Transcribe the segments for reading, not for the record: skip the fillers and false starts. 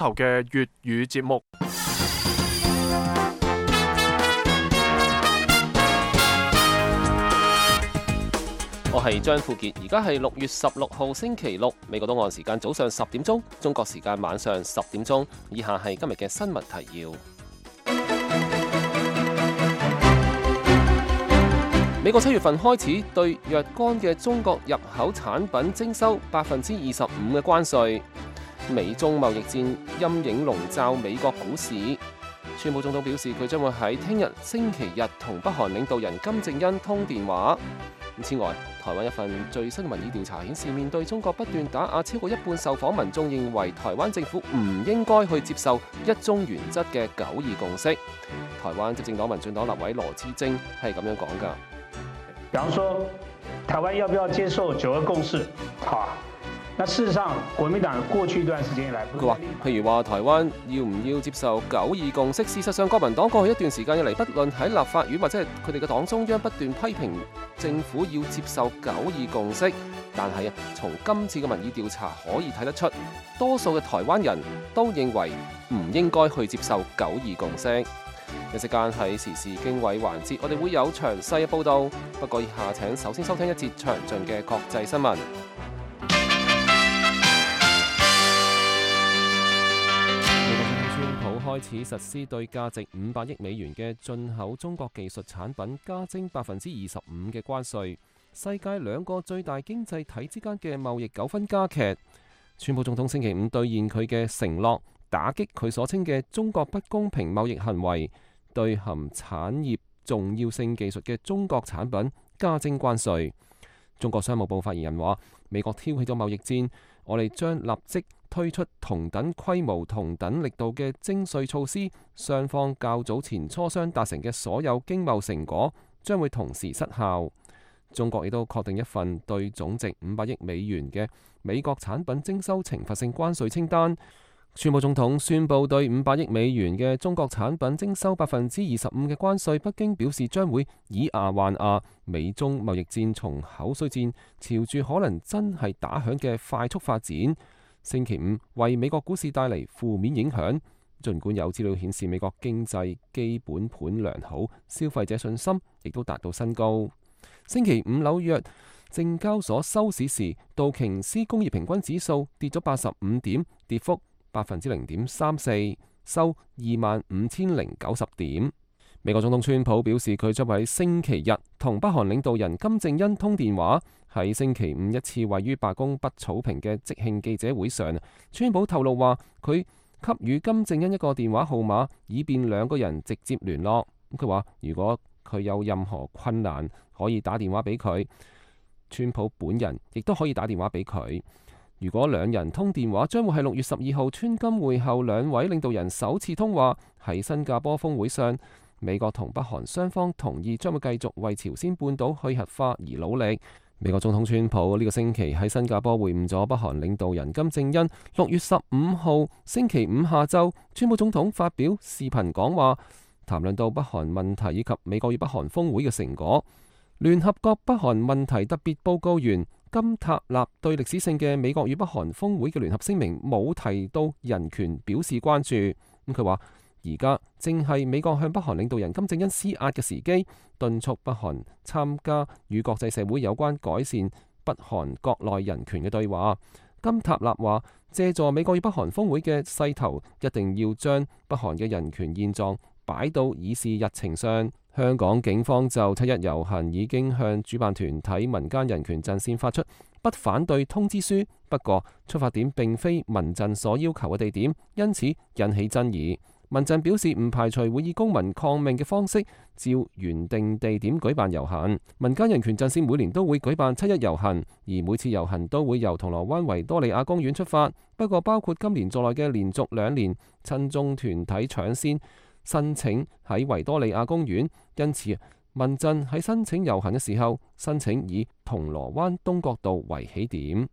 頭嘅粵語節目。我係張富傑，而家係6月16號星期六，美國東岸時間早上10點鐘，中國時間晚上10點鐘。以下係今日嘅新聞提要。美國7月份開始對若干嘅中國入口產品徵收25%嘅關稅。美中貿易戰陰影籠罩美國股市。川普總統表示，佢將會喺聽日星期日同北韓領導人金正恩通電話。此外，台灣一份最新民意調查顯示，面對中國不斷打壓，超過一半受訪民眾認為台灣政府唔應該去接受一中原則嘅9·2共識。台灣執政黨民進黨立委羅致政係咁樣講㗎。比方說，台灣要不要接受9·2共識？好，那事實上，國民黨過去一段時間以來，佢話，譬如話台灣要唔要接受9·2共識？事實上，國民黨過去一段時間以嚟，不論喺立法院或者係佢哋嘅黨中央不斷批評政府要接受9·2共識，但係從今次嘅民意調查可以睇得出，多數嘅台灣人都認為唔應該去接受9·2共識。一時間喺時事經緯環節，我哋會有詳細嘅報導。不過以下請首先收聽一節詳盡嘅國際新聞。開始實施對價值500億美元嘅進口中國技術產品加徵25%嘅關稅，世界兩個最大經濟體之間嘅貿易糾紛加劇。川普總統星期五兌現佢嘅承諾，打擊佢所稱嘅中國不公平貿易行為，對含產業重要性技術嘅中國產品加徵關稅。中國商務部發言人話：美國挑起咗貿易戰，我哋將立即推出同等規模、同等力度嘅徵稅措施，雙方較早前磋商達成嘅所有經貿成果將會同時失效。中國亦都確定一份對總值500億美元嘅美國產品徵收懲罰性關稅清單。川普總統宣布對500億美元嘅中國產品徵收25%嘅關稅，北京表示將會以牙還牙。美中貿易戰從口水戰朝住可能真係打響嘅快速發展。星期五為美國股市帶嚟負面影響，儘管有資料顯示美國經濟基本盤良好，消費者信心亦都達到新高。星期五紐約證交所收市時，道瓊斯工業平均指數跌咗85點，跌幅0.34%，收25,090點。美國總統川普表示，佢將喺星期日同北韓領導人金正恩通電話。喺星期五一次位於白宮北草坪嘅即興記者會上，川普透露話佢給予金正恩一個電話號碼，以便兩個人直接聯絡。佢話如果佢有任何困難，可以打電話俾佢。川普本人亦都可以打電話俾佢。如果兩人通電話，將會係6月12號川金會後兩位領導人首次通話。喺新加坡峰會上，美國同北韓雙方同意將會繼續為朝鮮半島去核化而努力。美國總統川普呢個星期喺新加坡會晤咗北韓領導人金正恩。6月15號星期五下晝，川普總統發表視頻講話，談論到北韓問題以及美國與北韓峰會嘅成果。聯合國北韓問題特別報告員金塔納對歷史性嘅美國與北韓峰會嘅聯合聲明冇提到人權表示關注。佢話而家正係美國向北韓領導人金正恩施壓嘅時機，敦促北韓參加與國際社會有關改善北韓國內人權嘅對話。金塔納話，借助美國與北韓峰會嘅勢頭，一定要將北韓嘅人權現狀擺到議事日程上。香港警方就7·1遊行已經向主辦團體民間人權陣線發出不反對通知書，不過出發點並非民陣所要求嘅地點，因此引起爭議。民陣表示唔排除會以公民抗命嘅方式照原定地點舉辦遊行。民間人權陣線每年都會舉辦7·1遊行，而每次遊行都會由銅鑼灣維多利亞公園出發。不過包括今年在內嘅連續2年，親中團體搶先申請喺維多利亞公園，因此民陣喺申請遊行嘅時候，申請以銅鑼灣東角道為起點。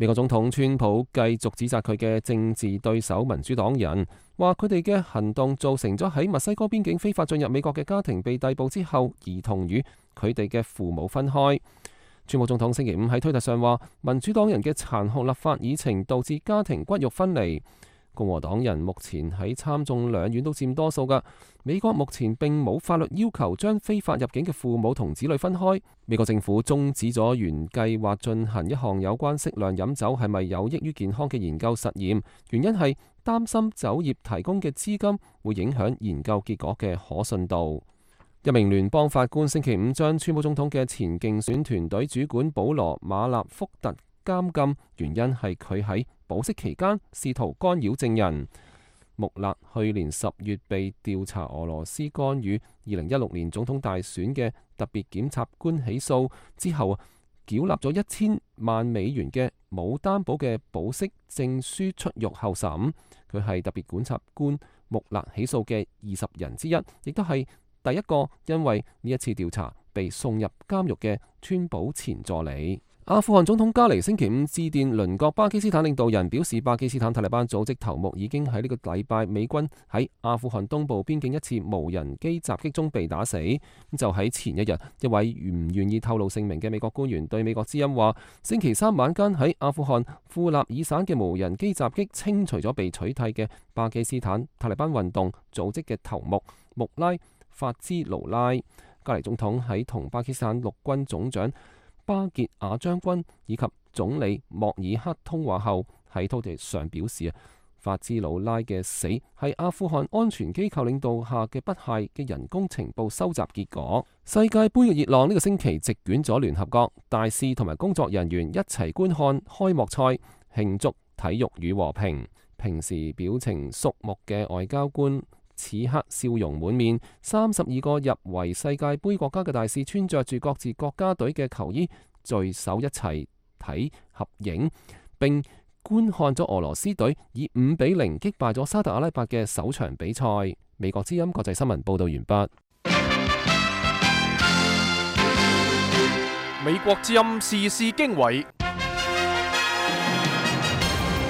美國總統川普繼續指責佢嘅政治對手民主黨人，話佢哋嘅行動造成咗喺墨西哥邊境非法進入美國嘅家庭被逮捕之後，兒童與佢哋嘅父母分開。川普總統星期五喺推特上話，民主黨人嘅殘酷立法議程導致家庭骨肉分離。共和黨人目前喺參眾兩院都佔多數㗎。美國目前並冇法律要求將非法入境嘅父母同子女分開。美國政府終止咗原計劃進行一項有關適量飲酒係咪有益於健康嘅研究實驗，原因係擔心酒業提供嘅資金會影響研究結果嘅可信度。一名聯邦法官星期五將川普總統嘅前競選團隊主管保羅馬納福特監禁，原因係佢喺保釋期間試圖干擾證人。穆勒去年10月被調查俄羅斯干預2016年總統大選嘅特別檢察官起訴之後，繳納咗1000萬美元嘅冇擔保嘅保釋證書出獄候審。佢係特別檢察官穆勒起訴嘅20人之一，亦都係第一個因為呢一次調查被送入監獄嘅川普前助理。阿富汗總統加尼星期五致電鄰國巴基斯坦領導人，表示巴基斯坦塔利班組織頭目已經喺呢個禮拜美軍喺阿富汗東部邊境一次無人機襲擊中被打死。就喺前一日，一位唔願意透露姓名嘅美國官員對美國之音話，星期三晚間喺阿富汗庫納爾省嘅無人機襲擊清除咗被取締嘅巴基斯坦塔利班運動組織嘅頭目穆拉法茲盧拉。加尼總統喺同巴基斯坦陸軍總長巴傑亞將軍以及總理莫爾克通話後，喺推特上表示法茲魯拉嘅死係阿富汗安全機構領導下嘅不懈嘅人工情報收集結果。世界盃嘅熱浪呢個星期席捲咗聯合國，大使同埋工作人員一齊觀看開幕賽，慶祝體育與和平。平時表情肅穆嘅外交官此刻笑容滿面，32個入圍世界盃國家嘅大使穿着住各自國家隊嘅球衣，聚首一齊睇合影，並觀看咗俄羅斯隊以5-0擊敗咗沙特阿拉伯嘅首場比賽。美國之音國際新聞報道完畢。美國之音時事經緯，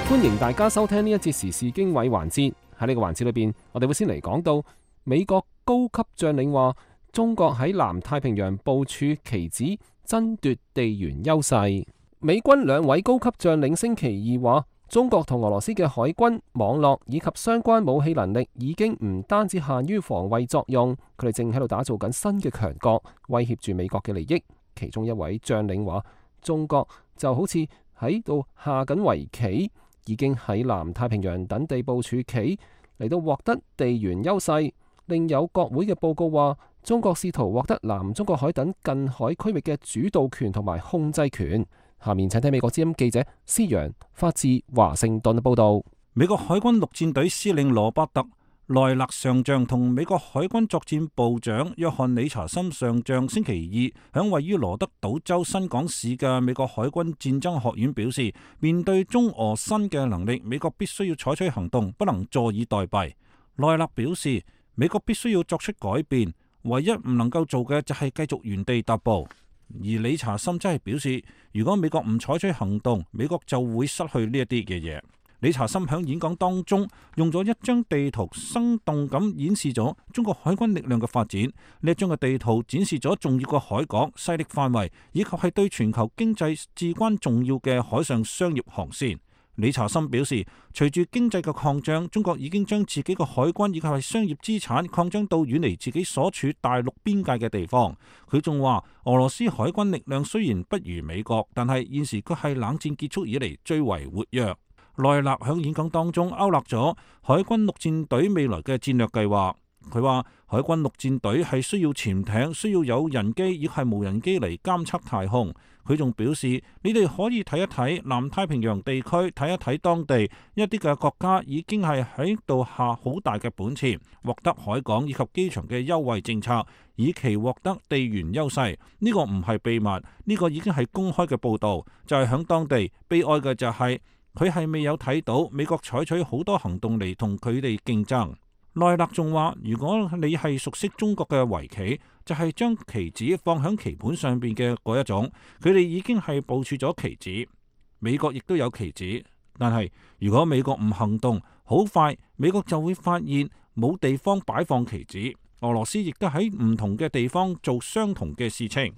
歡迎大家收聽呢一節時事經緯環節。喺呢個環節裏邊，我哋會先嚟講到美國高級將領話，中國喺南太平洋部署棋子，爭奪地緣優勢。美軍2位高級將領星期二話，中國同俄羅斯嘅海軍網絡以及相關武器能力已經唔單止限於防衛作用，佢哋正喺度打造緊新嘅強國，威脅住美國嘅利益。其中一位將領話，中國就好似喺度下緊圍棋，已經喺南太平洋等地部署棋嚟到獲得地緣優勢。另有國會嘅報告話，中國試圖獲得南中國海等近海區域嘅主導權同埋控制權。下面請聽美國之音記者施揚發自華盛頓嘅報道。美國海軍陸戰隊司令羅伯特萊勒上將同美國海軍作戰部長約翰理查森上將星期二響位於羅德島州新港市嘅美國海軍戰爭學院表示，面對中俄新嘅能力，美國必須要採取行動，不能坐以待斃。萊勒表示，美國必須要作出改變，唯一唔能夠做嘅就係繼續原地踏步。而理查森則係表示，如果美國唔採取行動，美國就會失去呢一啲嘅嘢。理查森喺演講當中用咗一張地圖，生動咁演示咗中國海軍力量嘅發展。呢一張嘅地圖展示咗重要嘅海港、勢力範圍，以及係對全球經濟至關重要嘅海上商業航線。理查森表示，隨住經濟嘅擴張，中國已經將自己嘅海軍以及係商業資產擴張到遠離自己所處大陸邊界嘅地方。佢仲話，俄羅斯海軍力量雖然不如美國，但係現時佢係冷戰結束以嚟最為活躍。萊勒響演講當中勾勒咗海軍陸戰隊未來嘅戰略計劃。佢話海軍陸戰隊係需要潛艇，需要有人機亦係無人機嚟監測太空。佢仲表示，你哋可以睇一睇南太平洋地區，睇一睇當地一啲嘅國家已經係喺度下好大嘅本錢，獲得海港以及機場嘅優惠政策，以期獲得地緣優勢。呢個唔係秘密，呢個已經係公開嘅報導。就係響當地悲哀嘅就係佢係未有睇到美國採取好多行動嚟同佢哋競爭。萊勒仲話，如果你係熟悉中國嘅圍棋，就係將棋子放響棋盤上邊嘅嗰一種，佢哋已經係部署咗棋子。美國亦都有棋子，但係如果美國唔行動，好快美國就會發現冇地方擺放棋子。俄羅斯亦都喺唔同嘅地方做相同嘅事情。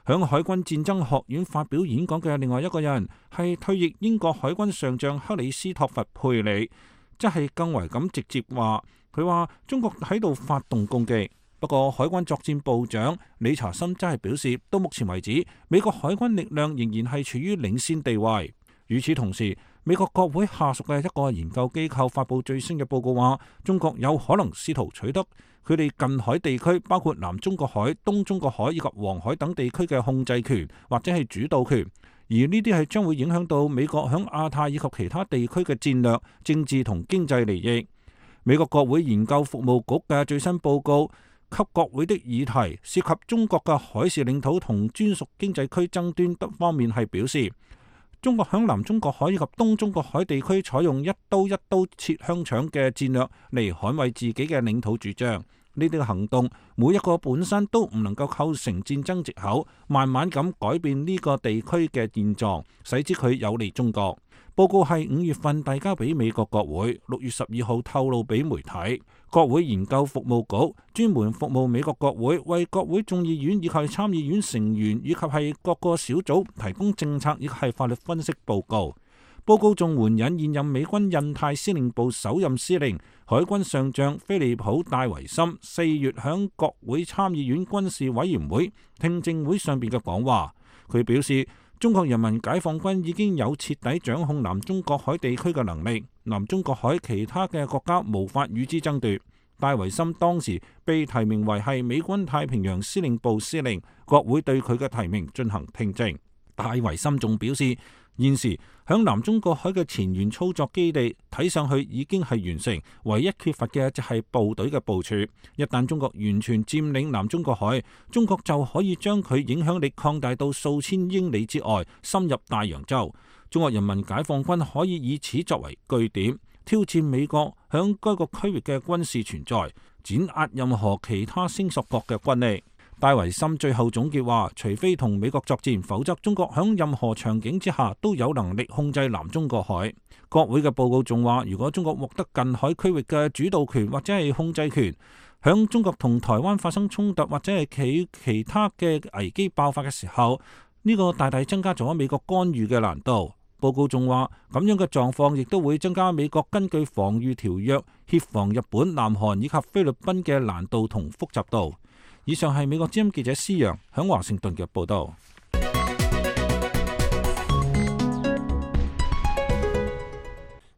響海軍戰爭學院發表演講嘅另外一個人係退役英國海軍上將克里斯托弗佩里。則係更為咁直接話，佢話中國喺度發動攻擊。不過海軍作戰部長理查森則係表示，到目前為止，美國海軍力量仍然係處於領先地位。與此同時，美國國會下屬嘅一個研究機構發布最新嘅報告話，中國有可能試圖取得佢哋近海地區，包括南中國海、東中國海以及黃海等地區嘅控制權或者係主導權，而呢啲係將會影響到美國響亞太以及其他地區嘅戰略、政治同經濟利益。美國國會研究服務局嘅最新報告給國會的議題涉及中國嘅海事領土同專屬經濟區爭端等方面係表示，中國響南中國海以及東中國海地區採用一刀切香腸嘅戰略嚟捍衛自己嘅領土主張。呢啲行動每一個本身都唔能夠構成戰爭藉口，慢慢咁改變呢個地區嘅現狀，使之佢有利中國。報告係5月份遞交俾美國國會，6月12號透露俾媒體。國會研究服務局專門服務美國國會，為國會眾議院以及參議院成員以及係各個小組提供政策以及係法律分析報告。報告仲援引現任美軍印太司令部首任司令海軍上將菲利普戴維森4月響國會參議院軍事委員會聽證會上邊嘅講話。佢表示，中國人民解放軍已經有徹底掌控南中國海地區嘅能力，南中國海其他嘅國家無法與之爭奪。戴維森當時被提名為係美軍太平洋司令部司令，國會對佢嘅提名進行聽證。戴維森仲表示，現時響南中國海嘅前沿操作基地睇上去已經係完成，唯一缺乏嘅就係部隊嘅部署。一旦中國完全佔領南中國海，中國就可以將佢影響力擴大到數千英里之外，深入大洋洲。中國人民解放軍可以以此作為據點，挑戰美國響該個區域嘅軍事存在，碾壓任何其他聲索國嘅軍力。戴維森最後總結話，除非同美國作戰，否則中國響任何場景之下都有能力控制南中國海。國會嘅報告仲話，如果中國獲得近海區域嘅主導權或者係控制權，響中國同台灣發生衝突或者係其他嘅危機爆發嘅時候，呢個大大增加咗美國干預嘅難度。報告仲話，咁樣嘅狀況亦都會增加美國根據防禦條約協防日本、南韓以及菲律賓嘅難度同複雜度。以上係美國之音記者施洋響華盛頓嘅報道。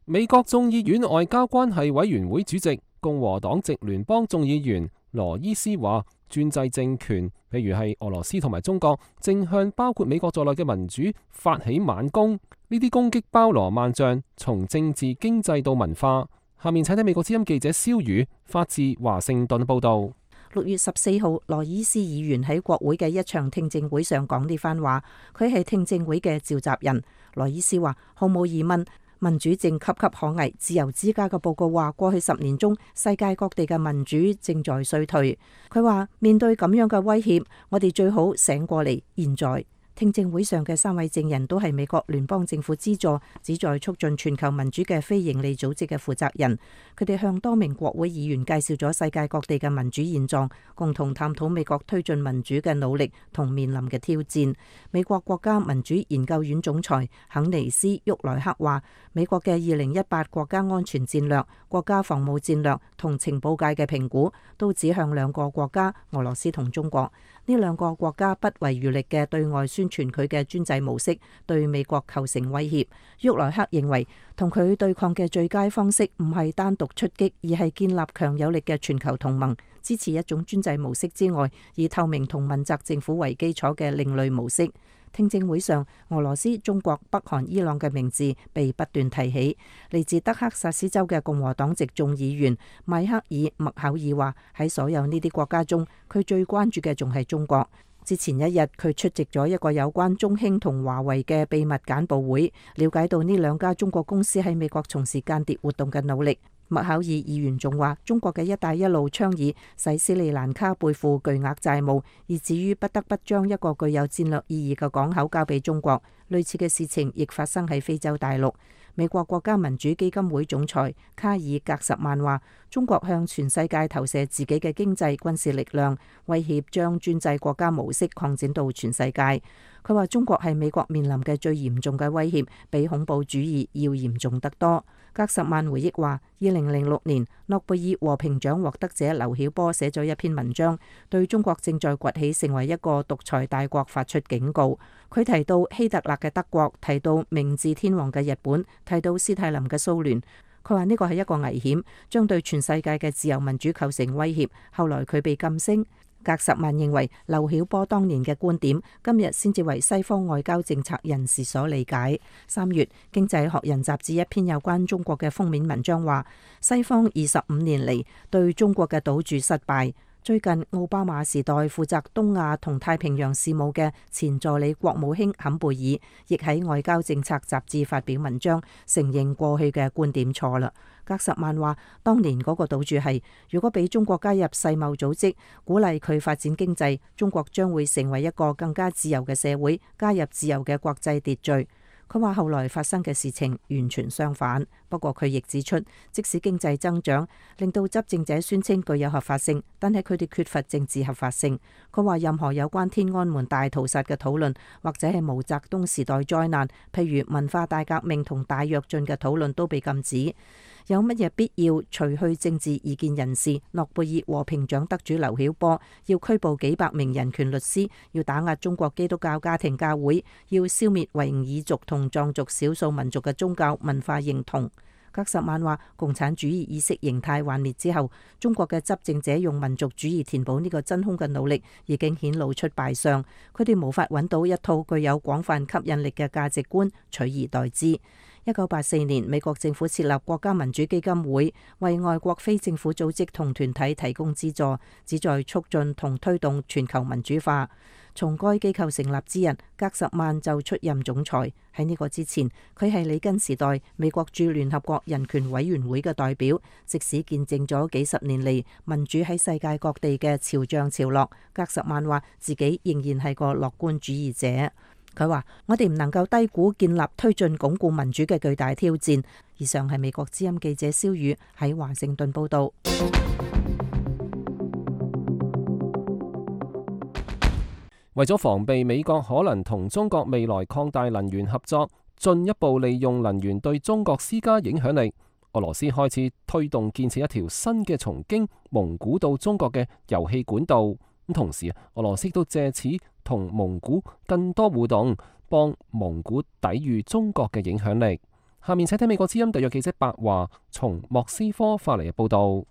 美國眾議院外交關係委員會主席、共和黨籍聯邦眾議員羅伊斯話，專制政權，譬如係俄羅斯同埋中國，正向包括美國在內嘅民主發起猛攻。呢啲攻擊包羅萬象，從政治、經濟到文化。下面請睇美國之音記者蕭宇發自華盛頓報道。6月14號，羅伊斯議員喺國會嘅一場聽證會上講呢番話，佢係聽證會嘅召集人。羅伊斯話，毫無疑問，民主正岌岌可危。自由之家嘅報告話，過去10年中，世界各地嘅民主正在衰退。佢話，面對咁樣嘅威脅，我哋最好醒過嚟。現在聽證會上嘅3位證人都係美國聯邦政府資助、旨在促進全球民主嘅非營利組織嘅負責人。佢哋向多名國會議員介紹咗世界各地嘅民主現狀，共同探討美國推進民主嘅努力同面臨嘅挑戰。美國國家民主研究院總裁肯尼斯·沃萊克話，美國嘅2018國家安全戰略、國家防務戰略同情報界嘅評估都指向2個國家，俄羅斯同中國。呢2個國家不遺餘力嘅對外宣傳佢嘅專制模式，對美國構成威脅。沃萊克認為，同佢對抗嘅最佳方式唔係單獨出擊，而係建立強有力嘅全球同盟，支持一種專制模式之外，以透明同問責政府為基礎嘅另類模式。聽證會上，俄羅斯、中國、北韓、伊朗嘅名字被不斷提起。嚟自德克薩斯州嘅共和黨籍眾議員邁克爾·麥考爾話，喺所有呢啲國家中，佢最關注嘅仲係中國。之前一日，佢出席咗一個有關中興同華為嘅秘密簡報會，了解到呢2家中國公司喺美國從事間諜活動嘅努力。麥考爾議員仲話，中國嘅一帶一路倡議使斯里蘭卡背負巨額債務，以至於不得不將一個具有戰略意義嘅港口交俾中國。類似嘅事情亦發生喺非洲大陸。美國國家民主基金會總裁卡爾格什曼話，中國向全世界投射自己嘅經濟軍事力量，威脅將專制國家模式擴展到全世界。佢話中國係美國面臨嘅最嚴重嘅威脅，比恐怖主義要嚴重得多。格什曼回憶話，2006年諾貝爾和平獎獲得者劉曉波寫咗一篇文章，對中國正在崛起成為一個獨裁大國發出警告。佢提到希特勒嘅德國，提到明治天皇嘅日本，提到斯大林嘅蘇聯。佢話呢個係一個危險，將對全世界嘅自由民主構成威脅。後來佢被禁聲。格什曼認為劉曉波當年嘅觀點，今日先至為西方外交政策人士所理解。3月，《經濟學人》雜誌一篇有關中國嘅封面文章話，西方25年嚟對中國嘅賭注失敗。最近奧巴馬時代負責東亞同太平洋事務嘅前助理國務卿坎貝爾，亦喺外交政策雜誌發表文章，承認過去嘅觀點錯啦。格什曼話，當年嗰個賭注係，如果俾中國加入世貿組織，鼓勵佢發展經濟，中國將會成為一個更加自由嘅社會，加入自由嘅國際秩序。佢話後來發生嘅事情完全相反，不過佢亦指出，即使經濟增長令到執政者宣稱具有合法性，但係佢哋缺乏政治合法性。佢話任何有關天安門大屠殺嘅討論，或者係毛澤東時代災難，譬如文化大革命同大躍進嘅討論都被禁止。有乜嘢必要除去政治異見人士？諾貝爾和平獎得主劉曉波要拘捕幾百名人權律師，要打壓中國基督教家庭教會，要消滅維吾爾族同藏族少數民族嘅宗教文化認同。格什曼話，共產主義意識形態幻滅之後，中國嘅執政者用民族主義填補呢個真空嘅努力已經顯露出敗相，佢哋無法揾到一套具有廣泛吸引力嘅價值觀取而代之。1984年，美國政府設立國家民主基金會，為外國非政府組織同團體提供資助，旨在促進同推動全球民主化。從該機構成立之日，格什曼就出任總裁。喺呢個之前，佢係里根時代美國駐聯合國人權委員會嘅代表，即使見證咗幾十年嚟民主喺世界各地嘅潮漲潮落，格什曼話自己仍然係個樂觀主義者。佢話：我哋唔能夠低估建立、推進、鞏固民主嘅巨大挑戰。以上係美國之音記者蕭宇喺華盛頓報導。為咗防備美國可能同中國未來擴大能源合作，進一步利用能源對中國施加影響力，俄羅斯開始推動建設一條新嘅從經蒙古到中國嘅油氣管道。咁同時，俄羅斯都借此同蒙古更多互動，幫蒙古抵禦中國嘅影響力。下面請聽美國之音特約記者白華從莫斯科發嚟嘅報道。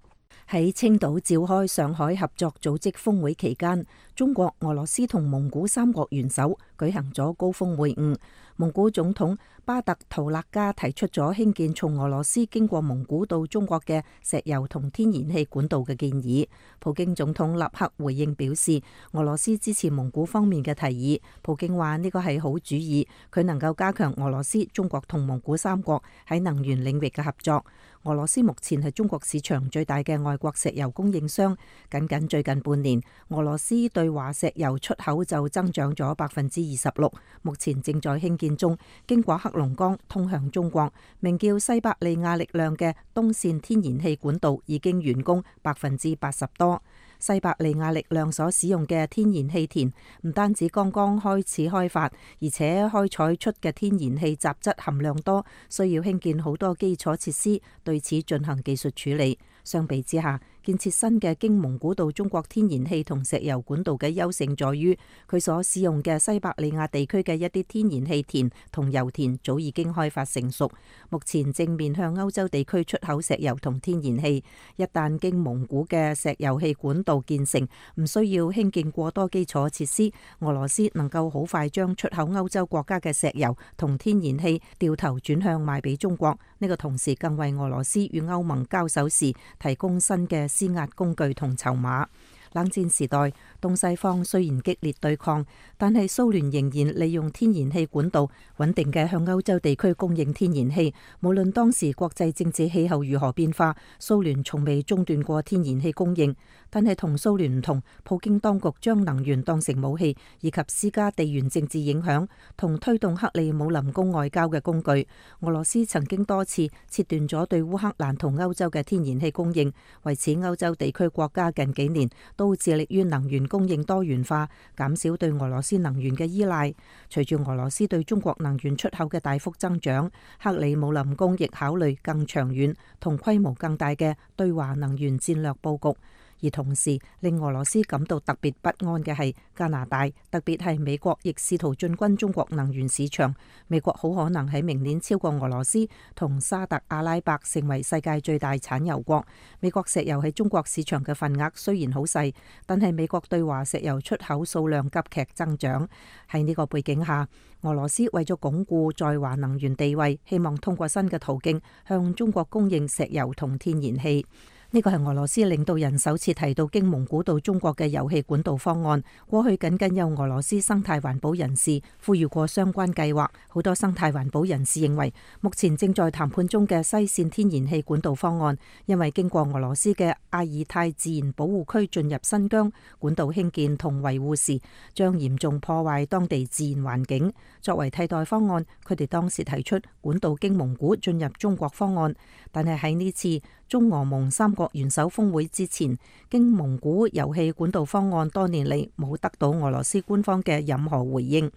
喺青島召開上海合作組織峰會期間，中國、俄羅斯同蒙古三國元首舉行咗高峰會晤。蒙古總統巴特圖勒加提出咗興建從俄羅斯經過蒙古到中國嘅石油同天然氣管道嘅建議。普京總統立刻回應表示，俄羅斯支持蒙古方面嘅提議。普京話呢個係好主意，佢能夠加強俄羅斯、中國同蒙古三國喺能源領域嘅合作。俄羅斯目前係中國市場最大嘅外國石油供應商，僅最近半年，俄羅斯對華石油出口就增長咗26%。目前正在興建中，經過黑龍江通向中國，名叫西伯利亞力量嘅東線天然氣管道已經完工80%多。西伯利亞力量所使用嘅天然氣田唔單止剛剛開始開發，而且開採出嘅天然氣雜質含量多，需要興建好多基礎設施，對此進行技術處理。相比之下，建設新嘅經蒙古到中國天然氣同石油管道嘅優勝在於，佢所使用嘅西伯利亞地區嘅一啲天然氣田同油田早已經開發成熟，目前正面向歐洲地區出口石油同天然氣。一旦經蒙古嘅石油氣管道建成，唔需要興建過多基礎設施，俄羅斯能夠好快將出口歐洲國家嘅石油同天然氣掉頭轉向賣俾中國。呢個同時更為俄羅斯與歐盟交手時提供新嘅施壓工具同籌碼。冷戰時代，東西方雖然激烈對抗，但係蘇聯仍然利用天然氣管道穩定嘅向歐洲地區供應天然氣。無論當時國際政治氣候如何變化，蘇聯從未中斷過天然氣供應。但係同蘇聯唔同，普京當局將能源當成武器，以及施加地緣政治影響同推動克里姆林宮外交嘅工具。俄羅斯曾經多次切斷咗對烏克蘭同歐洲嘅天然氣供應，為此歐洲地區國家近幾年都致力於能源供應多元化，減少對俄羅斯能源嘅依賴。隨住俄羅斯對中國能源出口嘅大幅增長，克里姆林宮亦考慮更長遠同規模更大嘅對華能源戰略佈局。而同時令俄羅斯感到特別不安嘅係加拿大，特別係美國，亦試圖進軍中國能源市場。美國好可能喺明年超過俄羅斯同沙特阿拉伯成為世界最大產油國。美國石油喺中國市場嘅份額雖然好細，但係美國對華石油出口數量急劇增長。喺呢個背景下，俄羅斯為咗鞏固在華能源地位，希望通過新嘅途徑向中國供應石油同天然氣。呢個係俄羅斯領導人首次提到經蒙古到中國嘅油氣管道方案。過去僅有俄羅斯生態環保人士呼籲過相關計劃。好多生態環保人士認為，目前正在談判中嘅西線天然氣管道方案，因為經過俄羅斯嘅阿爾泰自然保護區進入新疆，管道興建同維護時將嚴重破壞當地自然環境。作為替代方案，佢哋當時提出管道經蒙古進入中國方案，但係喺呢次中俄蒙三國元首峰會之前，經蒙古油氣管道方案多年嚟冇得到俄羅斯官方嘅任何回應。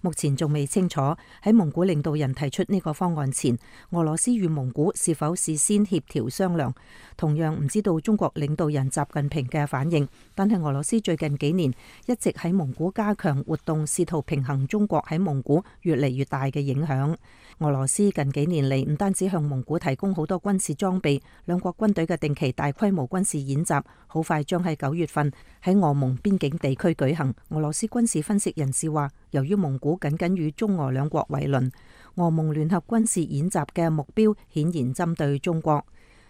目前仲未清楚喺蒙古領導人提出呢個方案前，俄羅斯與蒙古是否事先協調商量。同樣唔知道中國領導人習近平嘅反應，但係俄羅斯最近幾年一直喺蒙古加強活動，試圖平衡中國喺蒙古越嚟越大嘅影響。俄羅斯近幾年嚟唔單止向蒙古提供好多軍事裝備，兩國軍隊嘅定期大規模軍事演習好快將喺9月份喺俄蒙邊境地區舉行。俄羅斯軍事分析人士話，由於蒙古僅與中俄兩國為鄰，俄蒙聯合軍事演習嘅目標顯然針對中國。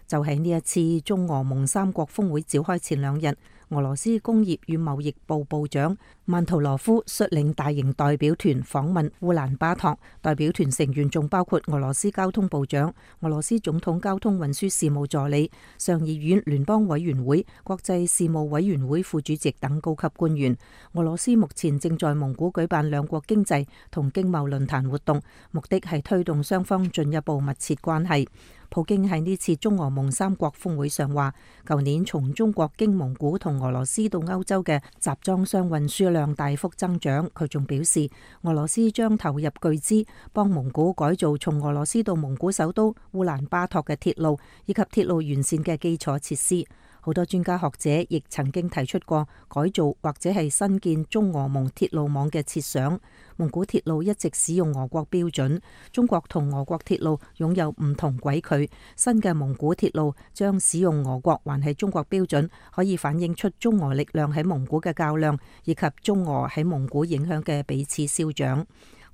就喺呢一次中俄蒙三國峰會召開前2日，俄羅斯工業與貿易部部長曼圖羅夫率領大型代表團訪問烏蘭巴托。代表團成員仲包括俄羅斯交通部長、俄羅斯總統交通運輸事務助理、上議院聯邦委員會國際事務委員會副主席等高級官員。俄羅斯目前正在蒙古舉辦兩國經濟同經貿論壇活動，目的係推動雙方進一步密切關係。普京喺呢次中俄蒙三國峰會上話，舊年從中國經蒙古同俄羅斯到歐洲嘅集裝箱運輸量大幅增長。佢仲表示，俄羅斯將投入巨資幫蒙古改造從俄羅斯到蒙古首都烏蘭巴托嘅鐵路，以及鐵路完善嘅基礎設施。好多專家學者亦曾經提出過改造或者係新建中俄蒙鐵路網嘅設想。蒙古鐵路一直使用俄國標準，中國同俄國鐵路擁有唔同軌距。新嘅蒙古鐵路將使用俄國還係中國標準，可以反映出中俄力量喺蒙古嘅較量，以及中俄喺蒙古影響嘅彼此消長。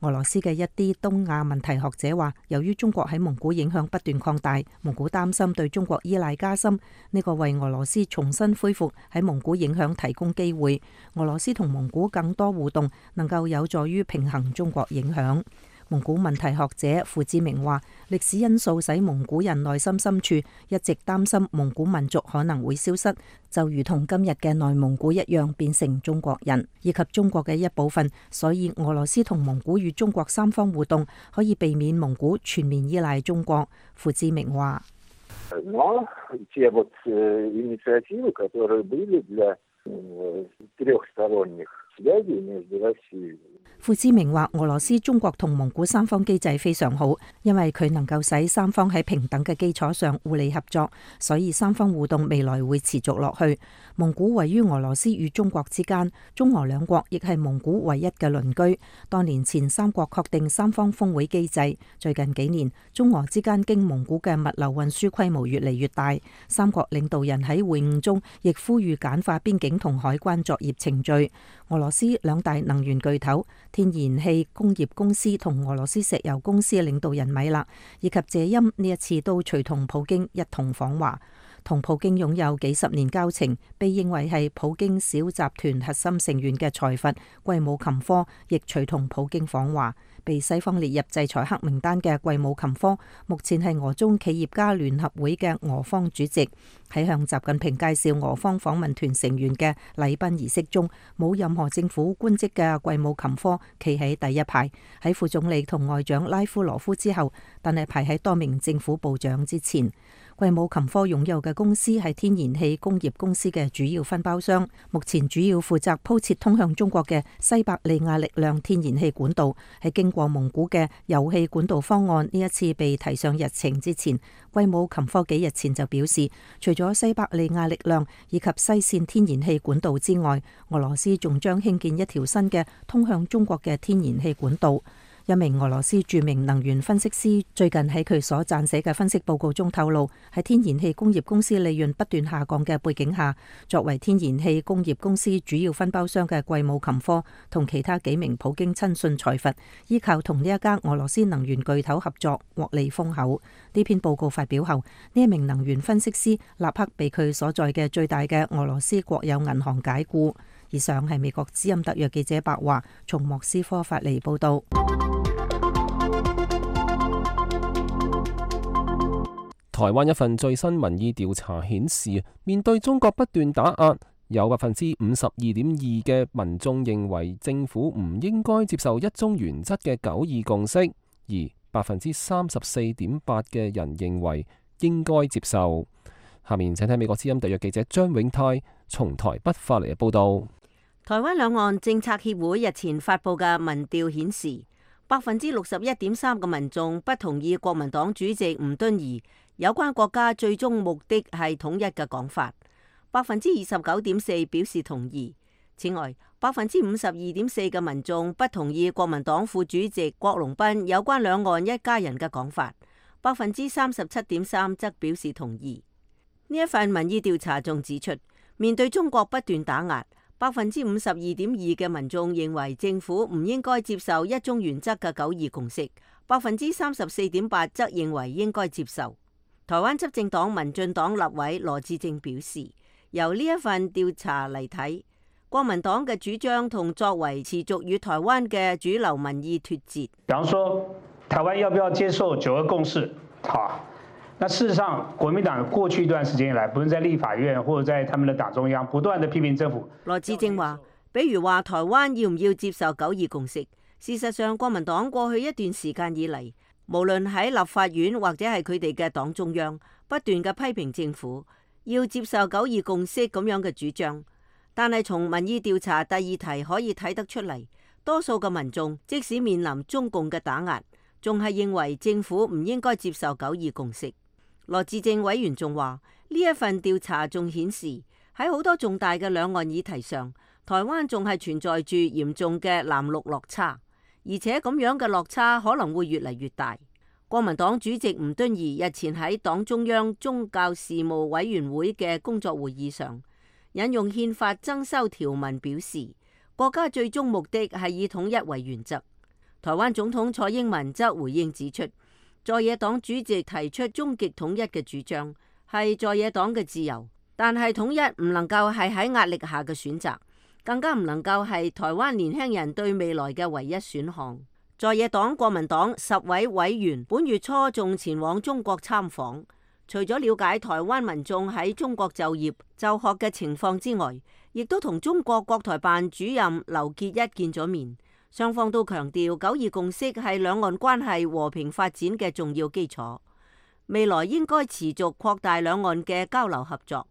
俄羅斯嘅一啲東亞問題學者話，由於中國喺蒙古影響不斷擴大，蒙古擔心對中國依賴加深，呢個為俄羅斯重新恢復喺蒙古影響提供機會。俄羅斯同蒙古更多互動，能夠有助於平衡中國影響。蒙古問題學者傅志明話，歷史因素使蒙古人內心深處一直擔心蒙古民族可能會消失，就如同今日嘅內蒙古一樣變成中國人以及中國嘅一部分。所以俄羅斯同蒙古與中國三方互動可以避免蒙古全面依賴中國。傅志明話，傅志明話，俄羅斯、中國同蒙古三方機制非常好，因為佢能夠使三方喺平等嘅基礎上互利合作，所以三方互動未來會持續落去。蒙古位於俄羅斯與中國之間，中俄兩國亦係蒙古唯一嘅鄰居。多年前三國確定三方峰會機制，最近幾年中俄之間經蒙古嘅物流運輸規模越嚟越大。三國領導人喺會晤中亦呼籲簡化邊境同海關作業程序。俄羅斯兩大能源巨頭天然氣工業公司同俄羅斯石油公司嘅領導人米勒以及謝欽呢一次都隨同普京一同訪華，同普京擁有幾十年交情，被認為係普京小集團核心成員嘅財閥季姆琴科亦隨同普京訪華。被西方列入制裁黑名單嘅季姆琴科，目前係俄中企業家聯合會嘅俄方主席。喺向習近平介紹俄方訪問團成員嘅禮賓儀式中，冇任何政府官職嘅季姆琴科企喺第一排，喺副總理同外長拉夫羅夫之後，但係排喺多名政府部長之前。貴武琴科擁有嘅公司係天然氣工業公司嘅主要分包商，目前主要負責鋪設通向中國嘅西伯利亞力量天然氣管道。喺經過蒙古嘅油氣管道方案呢一次被提上日程之前，貴武琴科幾日前就表示，除咗西伯利亞力量以及西線天然氣管道之外，俄羅斯仲將興建一條新嘅通向中國嘅天然氣管道。一名俄羅斯著名能源分析師最近喺佢所撰寫嘅分析報告中透露，喺天然氣工業公司利潤不斷下降嘅背景下，作為天然氣工業公司主要分包商嘅貴武琴科同其他幾名普京親信財閥，依靠同呢一家俄羅斯能源巨頭合作獲利豐厚。呢篇報告發表後，呢一名能源分析師立刻被佢所在嘅最大嘅俄羅斯國有銀行解僱。以上係美國之音特約記者白華從莫斯科發嚟報道。台灣一份最新民意調查顯示，面對中國不斷打壓，有52.2%嘅民眾認為政府唔應該接受一中原則嘅九二共識，而34.8%嘅人認為應該接受。下面請睇美國之音特約記者張永泰從台北發嚟嘅報道。台灣兩岸政策協會日前發布嘅民調顯示，61.3%嘅民眾不同意國民黨主席吳敦義有關國家最終目的係統一嘅講法，29.4%表示同意。此外，52.4%嘅民眾不同意國民黨副主席郝龍斌有關兩岸一家人嘅講法，37.3%則表示同意。呢一份民意調查仲指出，面對中國不斷打壓，52.2%嘅民眾認為政府唔應該接受一中原則嘅九二共識，34.8%則認為應該接受。台灣執政黨民進黨立委羅致政表示，由呢一份調查嚟睇，國民黨嘅主張同作為持續與台灣嘅主流民意脫節。比方說，台灣要不要接受九二共識？那事實上，國民黨過去一段時間以來，不論在立法院或者在他們的黨中央，不斷的批評政府。羅致政話，比如話台灣要唔要接受九二共識？事實上，國民黨過去一段時間以嚟，無論喺立法院或者係佢哋嘅黨中央，不斷嘅批評政府要接受九二共識咁樣嘅主張。但係從民意調查第二題可以睇得出嚟，多數嘅民眾即使面臨中共嘅打壓，仲係認為政府唔應該接受九二共識。羅致政委員仲話，呢一份調查仲顯示喺好多重大嘅兩岸議題上，台灣仲係存在住嚴重嘅藍綠落差，而且咁樣嘅落差可能會越嚟越大。國民黨主席吳敦義日前喺黨中央宗教事務委員會嘅工作會議上，引用憲法增修條文表示，國家最終目的係以統一為原則。台灣總統蔡英文則回應指出，在野黨主席提出終極統一嘅主張係在野黨嘅自由，但係統一唔能夠係喺壓力下嘅選擇，更加唔能夠係台灣年輕人對未來嘅唯一選項。在野黨國民黨10位委員本月初仲前往中國參訪，除咗了解台灣民眾喺中國就業就學嘅情況之外，亦都同中國國台辦主任劉結一見咗面。雙方都強調九二共識係兩岸關係和平發展嘅重要基礎，未來應該持續擴大兩岸嘅交流合作。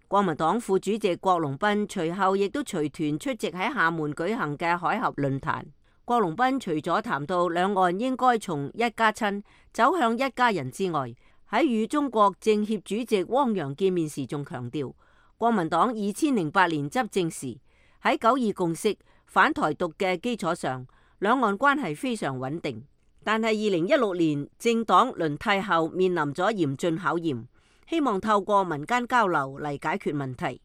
國民黨副主席郝龍斌隨後亦都隨團出席喺廈門舉行嘅海峽論壇。郝龍斌除咗談到兩岸應該從一家親走向一家人之外，喺與中國政協主席汪洋見面時仲強調，國民黨2008年執政時喺九二共識反台獨嘅基礎上，兩岸關係非常穩定。但係2016年政黨輪替後面臨咗嚴峻考驗，希望透過民間交流嚟解決問題。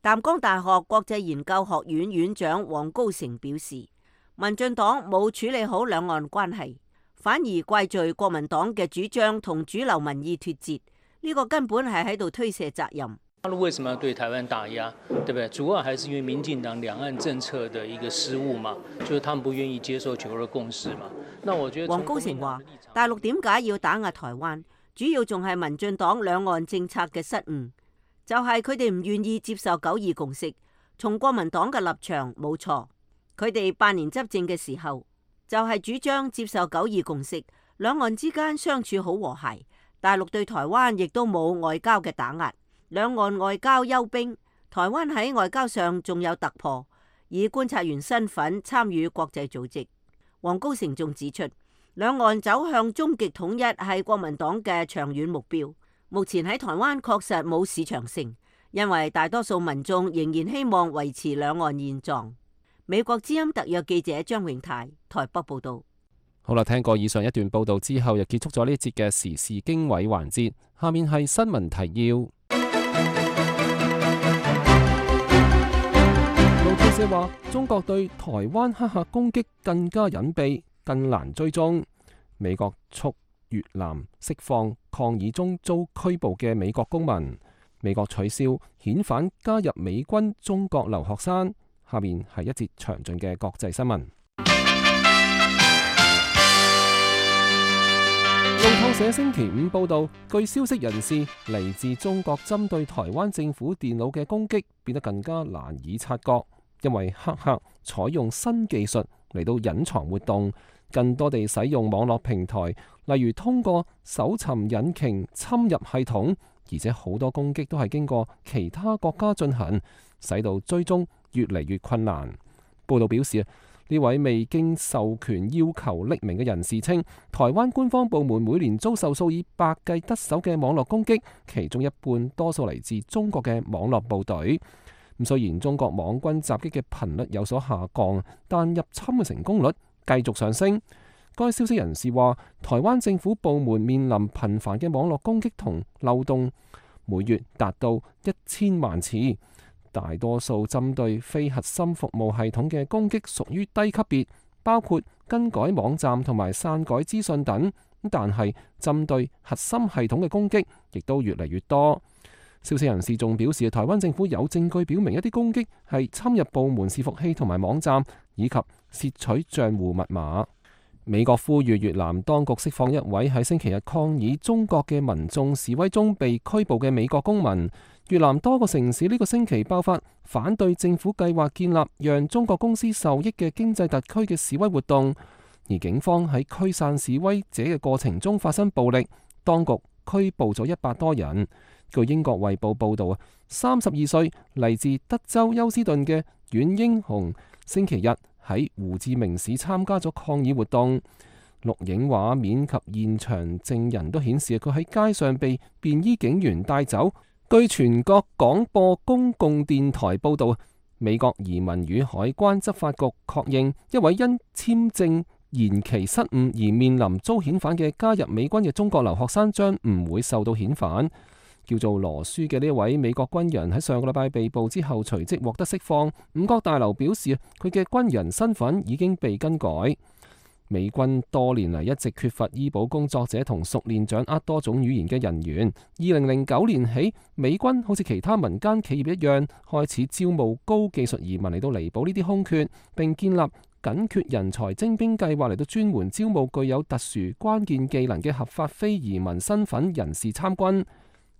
淡江大學國際研究學院院長黃高成表示，民進黨冇處理好兩岸關係，反而怪罪國民黨嘅主張同主流民意脫節，呢個根本係喺度推卸責任。大陸為什麼要對台灣打壓，對不對？主要還是因為民進黨兩岸政策的一個失誤嘛，就是他們不願意接受九二共識嘛。那我覺得黃高成話，大陸點解要打壓台灣，主要仲係民進黨兩岸政策嘅失誤，就係佢哋唔願意接受九二共識。從國民黨嘅立場冇錯，佢哋8年執政嘅時候就係主張接受九二共識，兩岸之間相處好和諧。大陸對台灣亦都冇外交嘅打壓，兩岸外交休兵。台灣喺外交上仲有突破，以觀察員身份參與國際組織。黃高成仲指出，兩岸走向終極統一係國民黨嘅長遠目標。目前喺台灣確實冇市場性，因為大多數民眾仍然希望維持兩岸現狀。美國之音特約記者張永泰台北報道。好啦，聽過以上一段報道之後，又結束咗呢一節嘅時事經緯環節。下面係新聞提要。路透社話，中國對台灣黑客攻擊更加隱蔽，更難追蹤。美國促越南釋放抗議中遭拘捕嘅美國公民。美國取消遣返加入美軍中國留學生。下面係一節詳盡嘅國際新聞。路透社星期五報道，據消息人士，嚟自中國針對台灣政府電腦嘅攻擊變得更加難以察覺，因為黑客採用新技術嚟到隱藏活動，更多地使用網絡平台，例如通過搜尋引擎侵入系統，而且好多攻擊都係經過其他國家進行，使到追蹤越嚟越困難。報道表示，呢位未經授權要求匿名嘅人士稱，台灣官方部門每年遭受數以百計得手嘅網絡攻擊，其中一半多數嚟自中國嘅網絡部隊。咁雖然中國網軍襲擊嘅頻率有所下降，但入侵嘅成功率繼續上升。該消息人士話，台灣政府部門面臨頻繁嘅網絡攻擊同漏洞，每月達到1000萬次。大多數針對非核心服務系統嘅攻擊屬於低級別，包括更改網站同埋篡改資訊等。但係針對核心系統嘅攻擊亦都越嚟越多。消息人士仲表示，台灣政府有證據表明一啲攻擊係侵入部門伺服器同埋網站，以及竊取賬戶密碼。美國呼籲越南當局釋放一位喺星期日抗議中國嘅民眾示威中被拘捕嘅美國公民。越南多個城市呢個星期爆發反對政府計劃建立讓中國公司受益嘅經濟特區嘅示威活動，而警方喺驅散示威者嘅過程中發生暴力，當局拘捕咗100多人。據英國衛報報道，32歲嚟自德州休斯頓嘅阮英雄星期日喺胡志明市參加咗抗議活動。錄影畫面及現場證人都顯示佢喺街上被便衣警員帶走。據全國廣播公共電台報道，美國移民與海關執法局確認一位因簽證延期失誤而面臨遭遣返嘅加入美軍嘅中國留學生將唔會受到遣返。叫做羅舒嘅呢位美國軍人喺上個禮拜被捕之後隨即獲得釋放。五角大樓表示佢嘅軍人身份已經被更改。美軍多年嚟一直缺乏醫保工作者同熟練掌握多種語言嘅人員。2009年起，美軍好似其他民間企業一樣，開始招募高技術移民嚟到彌補呢啲空缺，並建立緊缺人才徵兵計劃嚟到專門招募具有特殊關鍵技能嘅合法非移民身份人士參軍。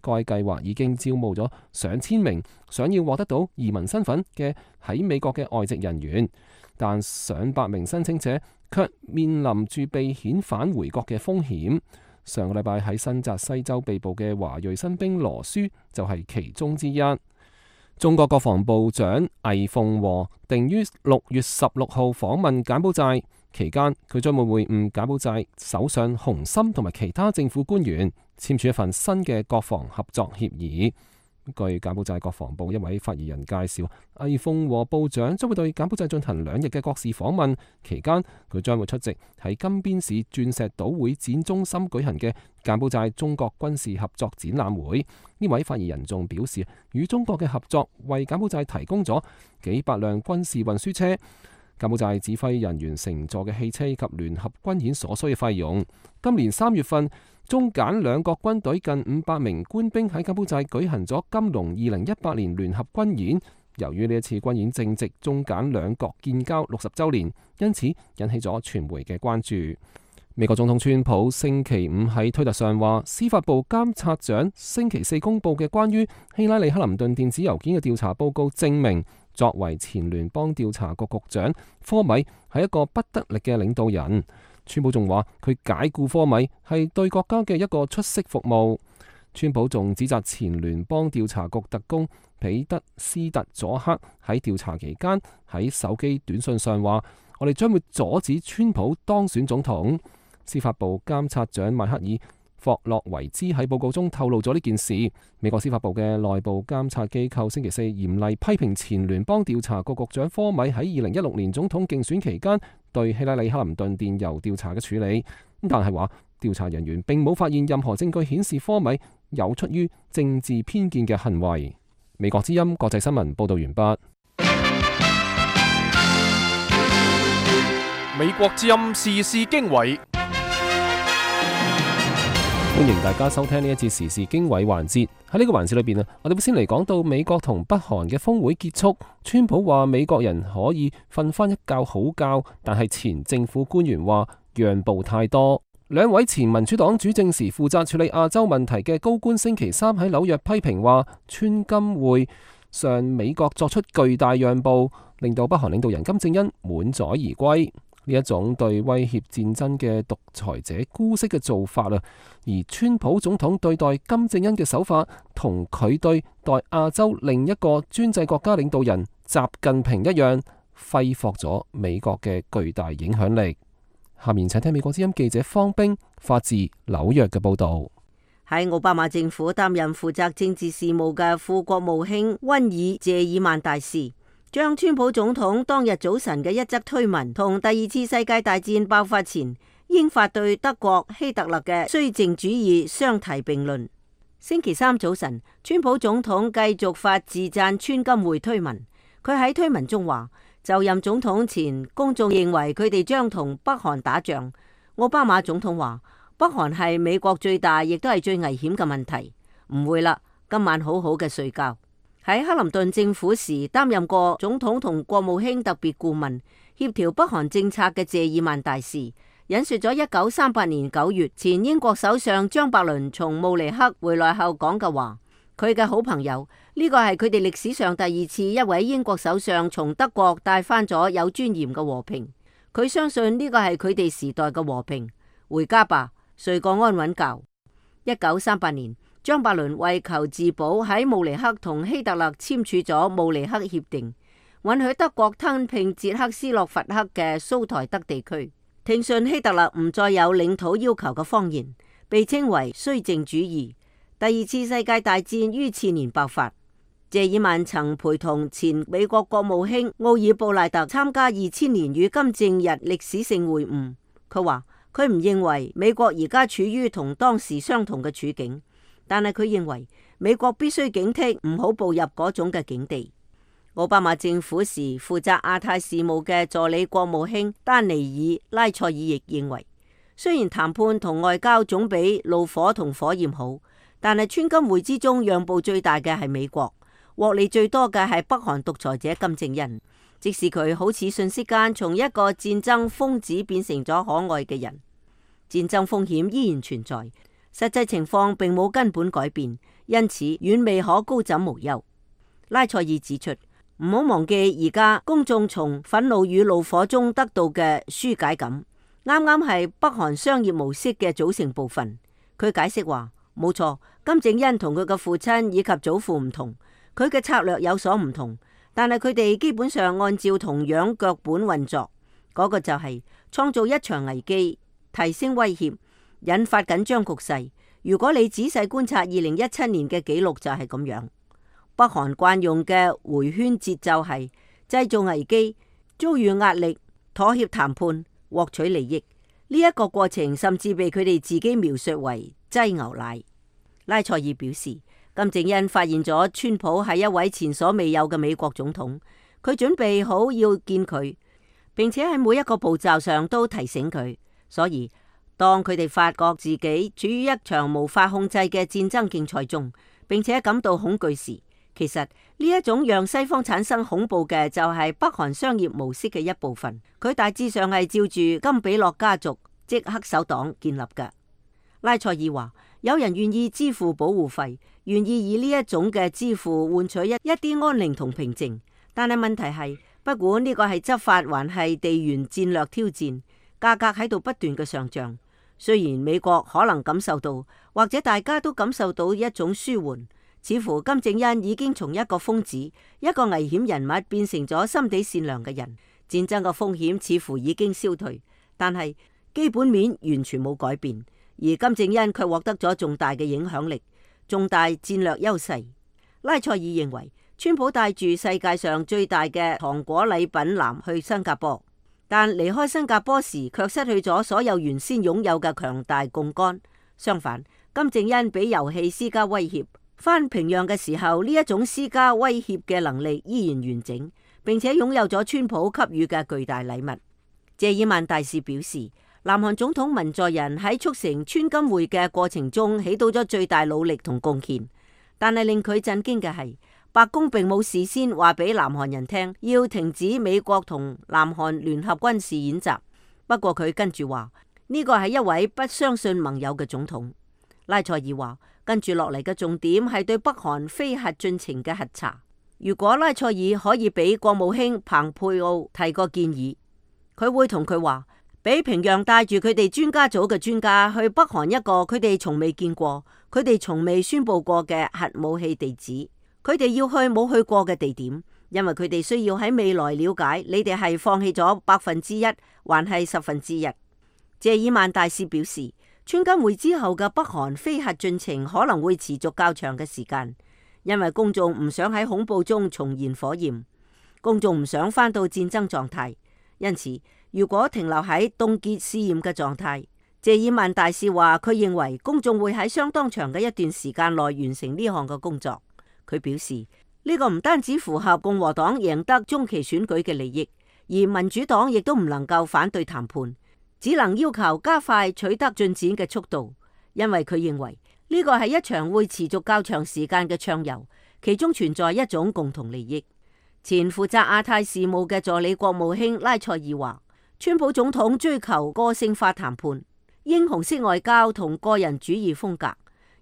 該計劃已經招募咗上千名想要獲得到移民身份嘅喺美國嘅外籍人員，但上百名申請者卻面臨住被遣返回國嘅風險。上個禮拜喺新澤西州被捕嘅華裔新兵羅舒就係其中之一。中國國防部長魏鳳和定於6月16號訪問柬埔寨，期間佢將會會晤柬埔寨首相洪森同埋其他政府官員，簽署一份新嘅國防合作協議。據柬埔寨國防部一位發言人介紹，魏鳳和部長將會對柬埔寨進行2日嘅國事訪問，期間佢將會出席喺金邊市鑽石島會展中心舉行嘅柬埔寨中國軍事合作展覽會。呢位發言人仲表示，與中國嘅合作為柬埔寨提供咗幾百輛軍事運輸車、柬埔寨指揮人員乘坐嘅汽車及聯合軍演所需嘅費用。今年3月份，中柬兩國軍隊近500名官兵喺柬埔寨舉行咗金龍2018年聯合軍演。由於呢一次軍演正值中柬兩國建交60週年，因此引起咗傳媒嘅關注。美國總統川普星期五喺推特上話，司法部監察長星期4公佈嘅關於希拉里克林頓電子郵件嘅調查報告證明，作為前聯邦調查局局長，科米係一個不得力嘅領導人。川普仲話佢解僱科米係對國家嘅一個出色服務。川普仲指責前聯邦調查局特工彼得斯特佐克喺調查期間喺手機短信上話：我哋將會阻止川普當選總統。司法部監察長邁克爾霍洛維茲喺報告中透露咗呢件事。美國司法部嘅內部監察機構星期四嚴厲批評前聯邦調查局局長科米喺2016年總統競選期間對希拉里克林頓電郵調查嘅處理，但係話調查人員並冇發現任何證據顯示科米有出於政治偏見嘅行為。美國之音國際新聞報道完畢。美國之音時事經緯，歡迎大家收聽呢一節時事經緯環節。喺呢個環節裏邊啊，我哋會先嚟講到美國同北韓嘅峰會結束。川普話美國人可以瞓翻一覺好覺，但係前政府官員話讓步太多。兩位前民主黨主政時負責處理亞洲問題嘅高官星期三喺紐約批評話，川金會上美國作出巨大讓步，令到北韓領導人金正恩滿載而歸。呢一種對威脅戰爭嘅獨裁者姑息嘅做法啊，而川普總統對待金正恩嘅手法，同佢對待亞洲另一個專制國家領導人習近平一樣，揮霍咗美國嘅巨大影響力。下面請聽美國之音記者方冰發自紐約嘅報道。喺奧巴馬政府擔任負責政治事務嘅副國務卿溫爾謝爾曼大使，將川普總統當日早晨嘅一則推文同第二次世界大戰爆發前英法對德國希特勒嘅綏靖主義相提並論。星期三早晨，川普總統繼續發自讚川金會推文。佢喺推文中話，就任總統前，公眾認為佢哋將同北韓打仗。奧巴馬總統話，北韓係美國最大亦都係最危險嘅問題。唔會啦，今晚好好嘅睡覺。喺克林頓政府時擔任過總統同國務卿特別顧問，協調北韓政策嘅謝爾曼大使引述咗1938年9月前英國首相張伯倫從慕尼黑回來後講嘅話。佢嘅好朋友，呢個係佢哋歷史上第二次一位英國首相從德國帶翻咗有尊嚴嘅和平。佢相信呢個係佢哋時代嘅和平。回家吧，睡個安穩覺。1938年，張伯倫為求自保喺慕尼黑同希特勒簽署咗慕尼黑協定，允許德國吞併捷克斯洛伐克嘅蘇台德地區，聽信希特勒唔再有領土要求嘅謊言，被稱為綏靖主義。第二次世界大戰於次年爆發。謝爾曼曾陪同前美國國務卿奧爾布賴特參加2000年與金正日歷史性會晤。佢話佢唔認為美國而家處於同當時相同嘅處境，但係佢認為美國必須警惕唔好步入嗰種嘅境地。奧巴馬政府時負責亞太事務嘅助理國務卿丹尼爾拉塞爾亦認為，雖然談判同外交總比怒火同火焰好，但係川金會之中讓步最大嘅係美國，獲利最多嘅係北韓獨裁者金正恩。即使佢好似瞬息間從一個戰爭瘋子變成咗可愛嘅人，戰爭風險依然存在，實際情況並冇根本改變，因此遠未可高枕無憂。拉塞爾指出，唔好忘記而家公眾從憤怒與怒火中得到嘅紓解感，啱啱係北韓商業模式嘅組成部分。佢解釋話，冇錯，金正恩同佢嘅父親以及祖父唔同，佢嘅策略有所唔同，但係佢哋基本上按照同樣腳本運作，嗰個就係創造一場危機，提升威脅，引發緊張局勢。如果你仔細觀察2017年嘅記錄就係咁樣。北韓慣用嘅回圈節奏係製造危機、遭遇壓力、妥協談判、獲取利益。呢一個過程甚至被佢哋自己描述為擠牛奶。拉塞爾表示，金正恩發現咗川普係一位前所未有嘅美國總統，佢準備好要見佢，並且喺每一個步驟上都提醒佢。所以當佢哋發覺自己處於一場無法控制嘅戰爭競賽中，並且感到恐懼時，其實呢一種讓西方產生恐怖嘅就係北韓商業模式嘅一部分。佢大致上係照住金比諾家族即黑手黨建立嘅。拉塞爾話，有人願意支付保護費，願意以呢一種嘅支付換取一啲安寧同平靜，但係問題係，不管呢個係執法還係地緣戰略挑戰，價格喺度不斷嘅上漲。雖然美國可能感受到，或者大家都感受到一種舒緩，似乎金正恩已經從一個瘋子、一個危險人物變成咗心地善良嘅人，戰爭嘅風險似乎已經消退，但係基本面完全冇改變，而金正恩卻獲得咗重大嘅影響力、重大戰略優勢。拉塞爾認為，川普帶住世界上最大嘅糖果禮品籃去新加坡，但離開新加坡時卻失去咗所有原先擁有嘅強大槓桿。相反，金正恩俾遊戲施加威脅，返平壤嘅時候，呢一種施加威脅嘅能力依然完整，並且擁有咗川普給予嘅巨大禮物。謝爾曼大使表示，南韓總統文在寅喺促成川金會嘅過程中起到咗最大努力同貢獻，但係令佢震驚嘅係，白宮並冇事先話俾南韓人聽要停止美國同南韓聯合軍事演習。不過佢跟住話呢個係一位不相信盟友嘅總統。拉塞爾話跟住落嚟嘅重點係對北韓非核進程嘅核查。如果拉塞爾可以俾國務卿蓬佩奧提個建議，佢會同佢話，俾平壤帶住佢哋專家組嘅專家去北韓一個佢哋從未見過、佢哋從未宣佈過嘅核武器地址。佢哋要去冇去過嘅地點，因為佢哋需要喺未來了解你哋係放棄咗1%還係1/10。謝爾曼大使表示，川金會之後嘅北韓非核進程可能會持續較長嘅時間，因為公眾唔想喺恐怖中重燃火焰，公眾唔想返到戰爭狀態。因此，如果停留喺凍結試驗嘅狀態，謝爾曼大使話佢認為公眾會喺相當長嘅一段時間內完成呢項嘅工作。佢表示呢個唔單止符合共和黨贏得中期選舉嘅利益，而民主黨亦都唔能夠反對談判，只能要求加快取得進展嘅速度，因為佢認為呢個係一場會持續較長時間嘅暢遊，其中存在一種共同利益。前負責亞太事務嘅助理國務卿拉塞爾話，川普總統追求個性化談判、英雄式外交同個人主義風格，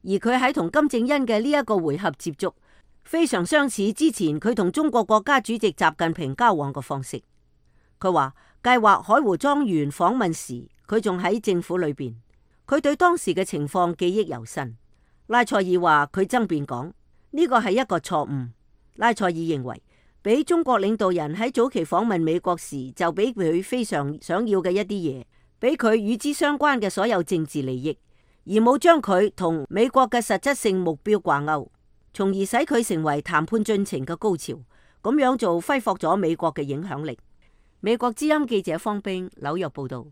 而佢喺同金正恩嘅呢一個回合接觸，非常相似之前佢同中國國家主席習近平交往嘅方式。佢話計劃海湖莊園訪問時，佢仲喺政府裏邊，佢對當時嘅情況記憶猶新。拉塞爾話佢爭辯講呢個係一個錯誤。拉塞爾認為，俾中國領導人喺早期訪問美國時就俾佢非常想要嘅一啲嘢，俾佢與之相關嘅所有政治利益，而冇將佢同美國嘅實質性目標掛鈎，從而使佢成為談判進程嘅高潮。咁樣做揮霍咗美國嘅影響力。美國之音記者方冰紐約報道。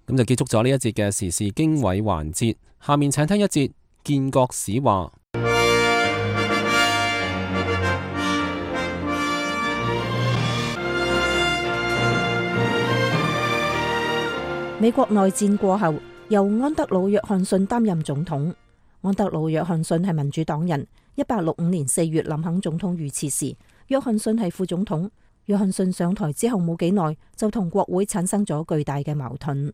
咁就結束咗呢一節嘅時事經緯環節，下面請聽一節建國史話。美國內戰過後，由安德魯約翰遜擔任總統。安德魯約翰遜係民主黨人。1865年4月林肯總統遇刺時，約翰遜係副總統。約翰遜上台之後冇幾耐，就同國會產生咗巨大嘅矛盾。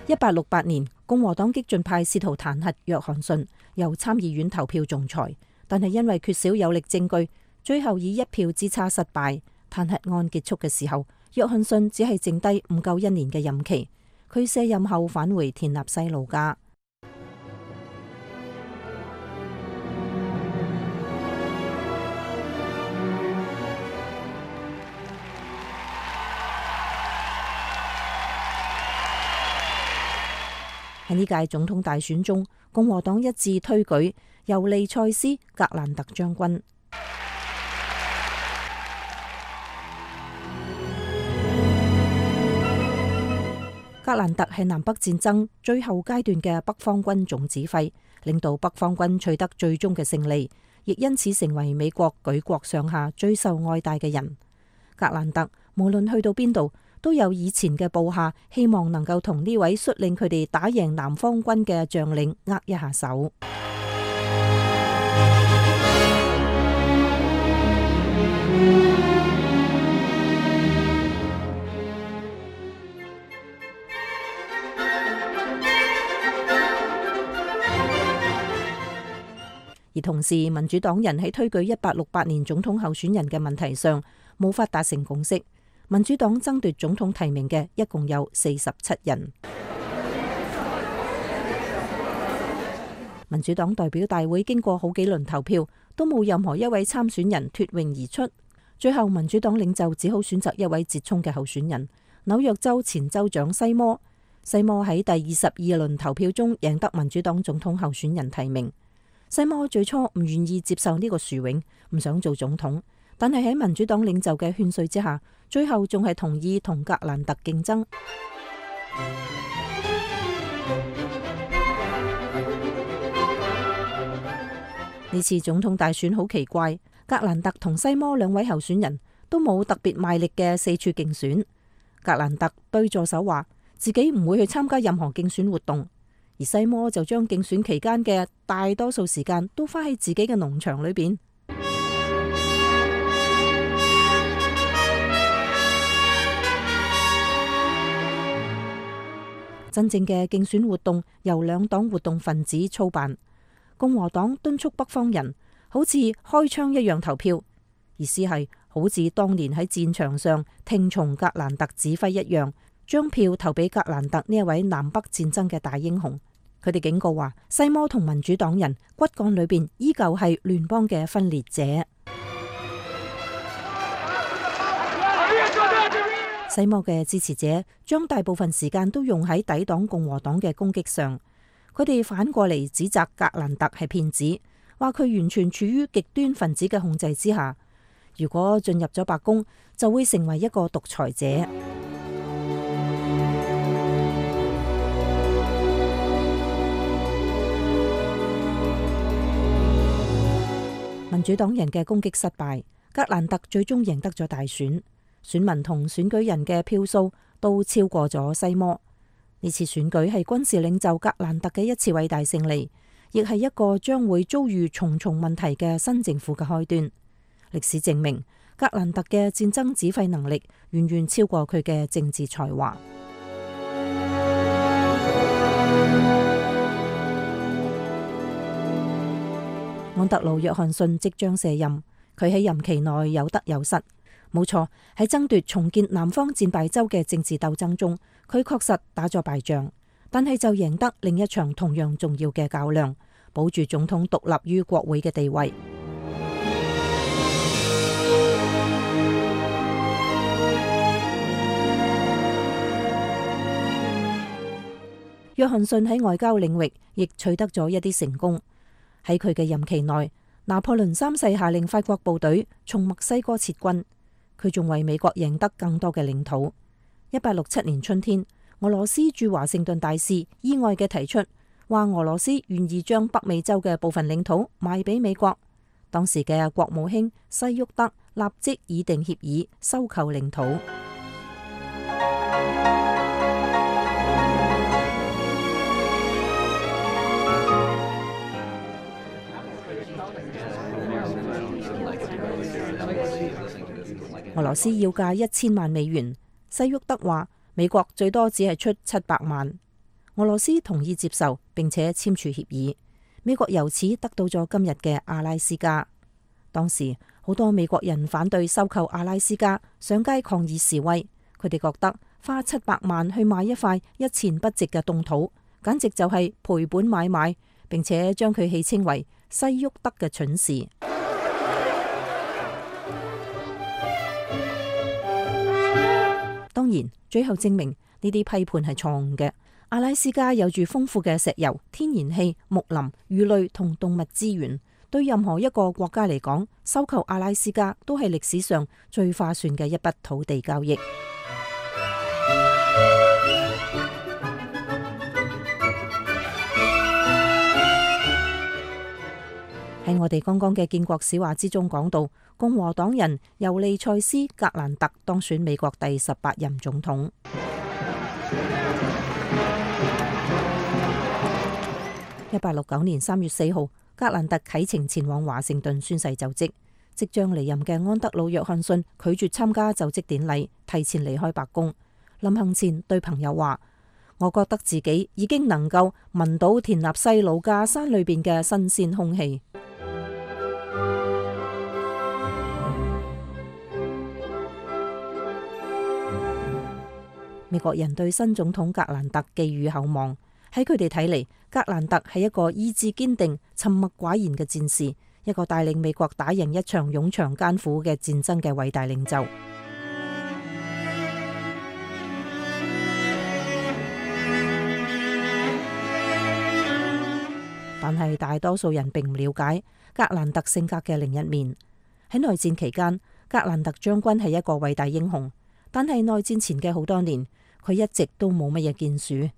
1868年，共和黨激進派試圖彈劾約翰遜，由參議院投票仲裁，但係因為缺少有力證據，最後以1票之差失敗。彈劾案結束嘅時候，約翰遜只係剩低唔夠1年嘅任期。佢卸任後返回田納西老家。喺呢屆總統大選中，共和黨一致推舉尤利塞斯·格蘭特將軍。格蘭特係南北戰爭最後階段嘅北方軍總指揮，領導北方軍取得最終嘅勝利，亦因此成為美國舉國上下最受愛戴嘅人。格蘭特無論去到邊度，都有以前嘅部下希望能夠同呢位率領佢哋打贏南方軍嘅將領握一下手。而同時民主黨人喺推舉1868年總統候選人嘅問題上無法達成共識。民主黨爭奪總統提名嘅一共有47人。民主黨代表大會經過好幾輪投票，都冇任何一位參選人脫穎而出。最後民主黨領袖只好選擇一位折衝嘅候選人——紐約州前州長西摩。西摩喺第22輪投票中贏得民主黨總統候選人提名。西摩最初唔願意接受呢個殊榮，唔想做總統，但係喺民主黨領袖嘅勸說之下，最後仲係同意同格蘭特競爭。呢次總統大選好奇怪，格蘭特同西摩兩位候選人都冇特別賣力嘅四處競選。格蘭特對助手話自己唔會去參加任何競選活動，而西摩就將競選期間嘅大多數時間都花喺自己嘅農場裏邊。真正嘅競選活動由兩黨活動分子操辦。共和黨敦促北方人好似開槍一樣投票，意思係好似當年喺戰場上聽從格蘭特指揮一樣，將票投俾格蘭特呢一位南北戰爭嘅大英雄。佢哋警告話，西摩同民主黨人骨幹裏邊依舊係聯邦嘅分裂者。西摩嘅支持者將大部分時間都用喺抵擋共和黨嘅攻擊上。佢哋反過嚟指責格蘭特係騙子，話佢完全處於極端分子嘅控制之下。如果進入咗白宮，就會成為一個獨裁者。民主黨人嘅攻擊失敗，格蘭特最終贏得咗大選，選民同選舉人嘅票數都超過咗西摩。呢次選舉係軍事領袖格蘭特嘅一次偉大勝利，亦係一個將會遭遇重重問題嘅新政府嘅開端。歷史證明，格蘭特嘅戰爭指揮能力遠遠超過佢嘅政治才華。安德魯約翰遜即將卸任，佢喺任期內有得有失。冇錯，喺爭奪重建南方戰敗州嘅政治鬥爭中，佢確實打咗敗仗，但係就贏得另一場同樣重要嘅較量，保住總統獨立於國會嘅地位。約翰遜喺外交領域亦取得咗一啲成功。喺佢嘅任期內，拿破崙三世下令法國部隊從墨西哥撤軍。佢仲為美國贏得更多嘅領土。1867年春天，俄羅斯駐華盛頓大使意外嘅提出，話俄羅斯願意將北美洲嘅部分領土賣俾美國。當時嘅國務卿西沃德立即擬定協議收購領土。俄羅斯要價1000萬美元，西沃德話美國最多只係出700萬。俄羅斯同意接受，並且簽署協議。美國由此得到咗今日嘅阿拉斯加。當時好多美國人反對收購阿拉斯加，上街抗議示威。佢哋覺得花700萬去買一塊一錢不值嘅凍土，簡直就係賠本買賣，並且將佢戲稱為西沃德嘅蠢事。當然，最後證明呢啲批判係錯誤嘅。阿拉斯加有住豐富嘅石油、天然氣、木林、魚類同動物資源，對任何一個國家嚟講，收購阿拉斯加都係歷史上最划算嘅一筆土地交易。喺我哋剛剛嘅建國史話之中講到，共和黨人尤利塞斯·格蘭特當選美國第18任總統。1869年3月4號，格蘭特啟程前往華盛頓宣誓就職。即將離任嘅安德魯·約翰遜拒絕參加就職典禮，提前離開白宮。臨行前對朋友話：我覺得自己已經能夠聞到田納西魯加山裏邊嘅新鮮空氣。美國人對新總統格蘭特寄予厚望。喺佢哋睇嚟，格蘭特係一個意志堅定、沉默寡言嘅戰士，一個帶領美國打贏一場冗長艱苦嘅戰爭嘅偉大領袖。但係大多數人並唔了解格蘭特性格嘅另一面。喺內戰期間，格蘭特將軍係一個偉大英雄，但係內戰前嘅好多年，佢一直都冇乜嘢建樹。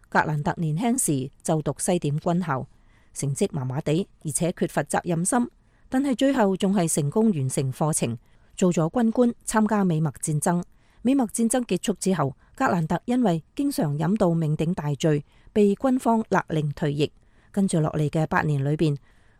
格蘭特年輕時就讀西點軍校，成績麻麻地，而且缺乏責任心，但係最後仲係成功完成課程，做咗軍官，參加美墨戰爭。美墨戰爭結束之後，格蘭特因為經常飲到酩酊大醉，被軍方勒令退役。跟住落嚟嘅8年裏邊，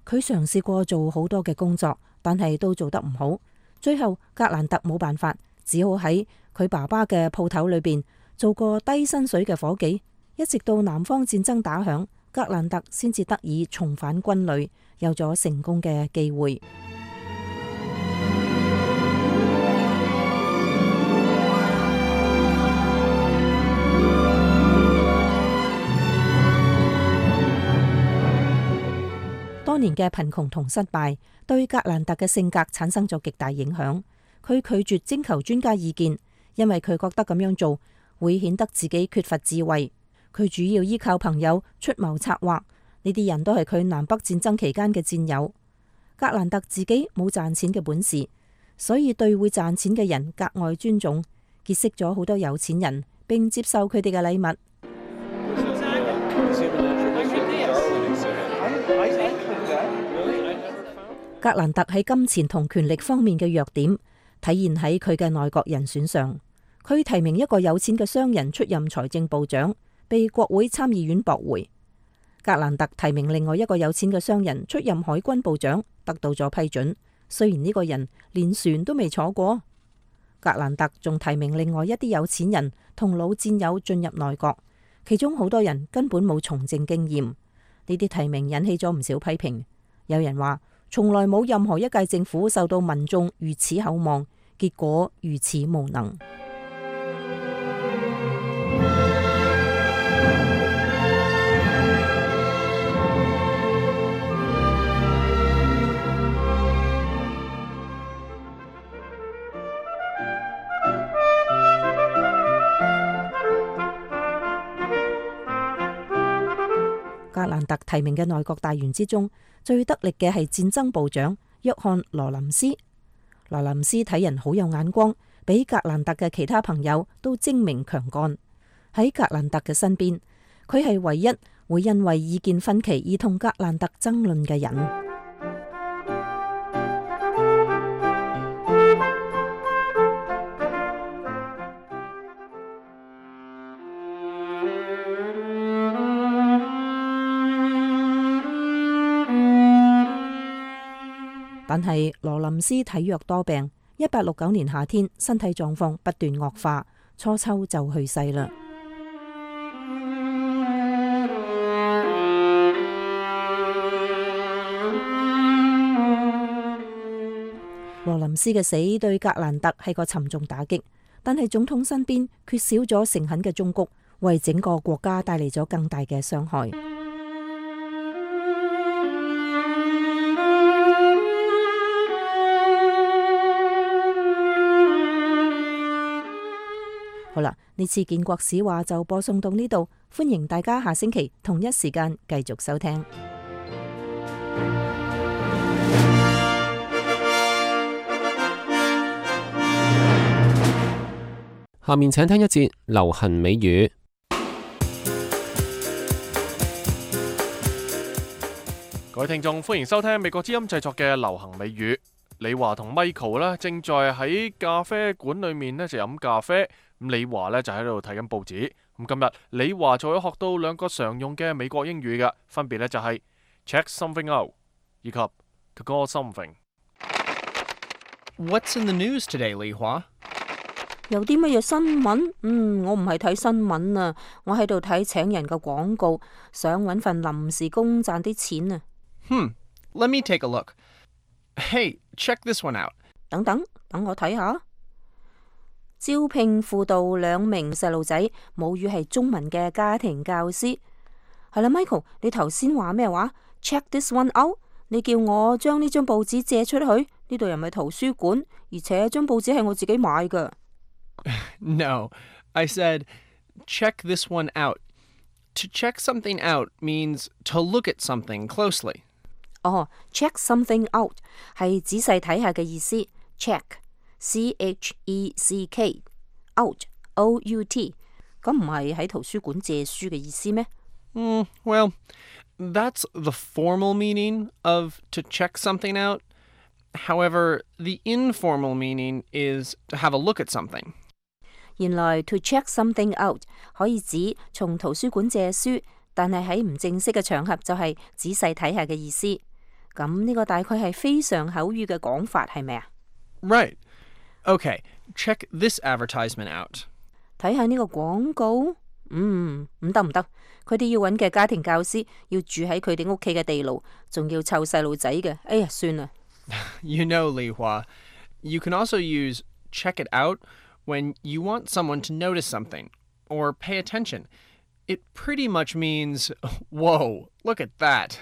佢嘗試過做好多嘅工作，但係都做得唔好。最後格蘭特冇辦法，只好喺佢爸爸嘅鋪頭裏邊做個低薪水嘅伙計，一直到南方戰爭打響，格蘭特先至得以重返軍旅，有咗成功嘅機會。多年嘅貧窮同失敗對格蘭特嘅性格產生咗極大影響。佢拒絕徵求專家意見，因為佢覺得咁樣做會顯得自己缺乏智慧。佢主要依靠朋友出謀策劃，呢啲人都係佢南北戰爭期間嘅戰友。格蘭特自己冇賺錢嘅本事，所以對會賺錢嘅人格外尊重，結識咗好多有錢人，並接受佢哋嘅禮物。格蘭特喺金錢同權力方面嘅弱點體現喺佢嘅內閣人選上。佢提名一個有錢嘅商人出任財政部長，被國會參議院駁回。格蘭特提名另外一個有錢嘅商人出任海軍部長，得到咗批准。雖然呢個人連船都未坐過。格蘭特仲提名另外一啲有錢人同老戰友進入內閣，其中好多人根本冇從政經驗。呢啲提名引起咗唔少批評。有人話，從來冇任何一屆政府受到民眾如此厚望，結果如此無能。格蘭特提名嘅內閣大員之中，最得力嘅係戰爭部長約翰羅林斯。羅林斯睇人好有眼光，比格蘭特嘅其他朋友都精明強幹。喺格蘭特嘅身邊，佢係唯一會因為意見分歧而同格蘭特爭論嘅人。但係羅林斯體弱多病，1869年夏天身體狀況不斷惡化，初秋就去世啦。羅林斯嘅死對格蘭特係個沉重打擊，但係總統身邊缺少咗誠懇嘅忠告，為整個國家帶嚟咗更大嘅傷害。好啦，呢次建國史話就播送到呢度，歡迎大家下星期同一時間繼續收聽。下面請聽一節流行美語。各位聽眾，歡迎收聽美國之音製作嘅流行美語。李華同 Michael 呢正在喺咖啡館裏面呢就飲咖啡，咁李華呢就喺度睇緊報紙。咁今日李華就會學到兩個常用嘅美國英語嘅，分別呢就係 check something out 以及 to call something。 What's in the news today, 李華？有啲乜嘢新聞？我唔係睇新聞啊，我喺度睇請人嘅廣告，想搵份臨時工賺啲錢啊。Let me take a look. Hey, check this one out. 等我睇下。招聘輔導2名細路仔母語係中文嘅家庭教師。係啦，Michael，你頭先話咩話 ？Check this one out， 你叫我將呢張報紙借出去，呢度又唔係圖書館，而且張報紙係我自己買㗎。No, I said, check this one out. To check something out means to look at something closely. 哦，check something out 係仔細睇下嘅意思。check，check，out，O-U-T， 咁唔係喺圖書館借書嘅意思咩Well, that's the formal meaning of to check something out. However, the informal meaning is to have a look at something. 原來 to check something out 可以指從圖書館借書，但係喺唔正式嘅場合就係仔細睇下嘅意思。咁呢個大概係非常口語嘅講法，係咪啊？ Right. Okay, check this advertisement out. 睇下呢個廣告，唔得，佢哋要揾嘅家庭教師要住喺佢哋屋企嘅地牢，仲要湊細路仔嘅。哎呀，算啦。You know, Li Hua, you can also use check it out when you want someone to notice something or pay attention. It pretty much means, whoa, look at that.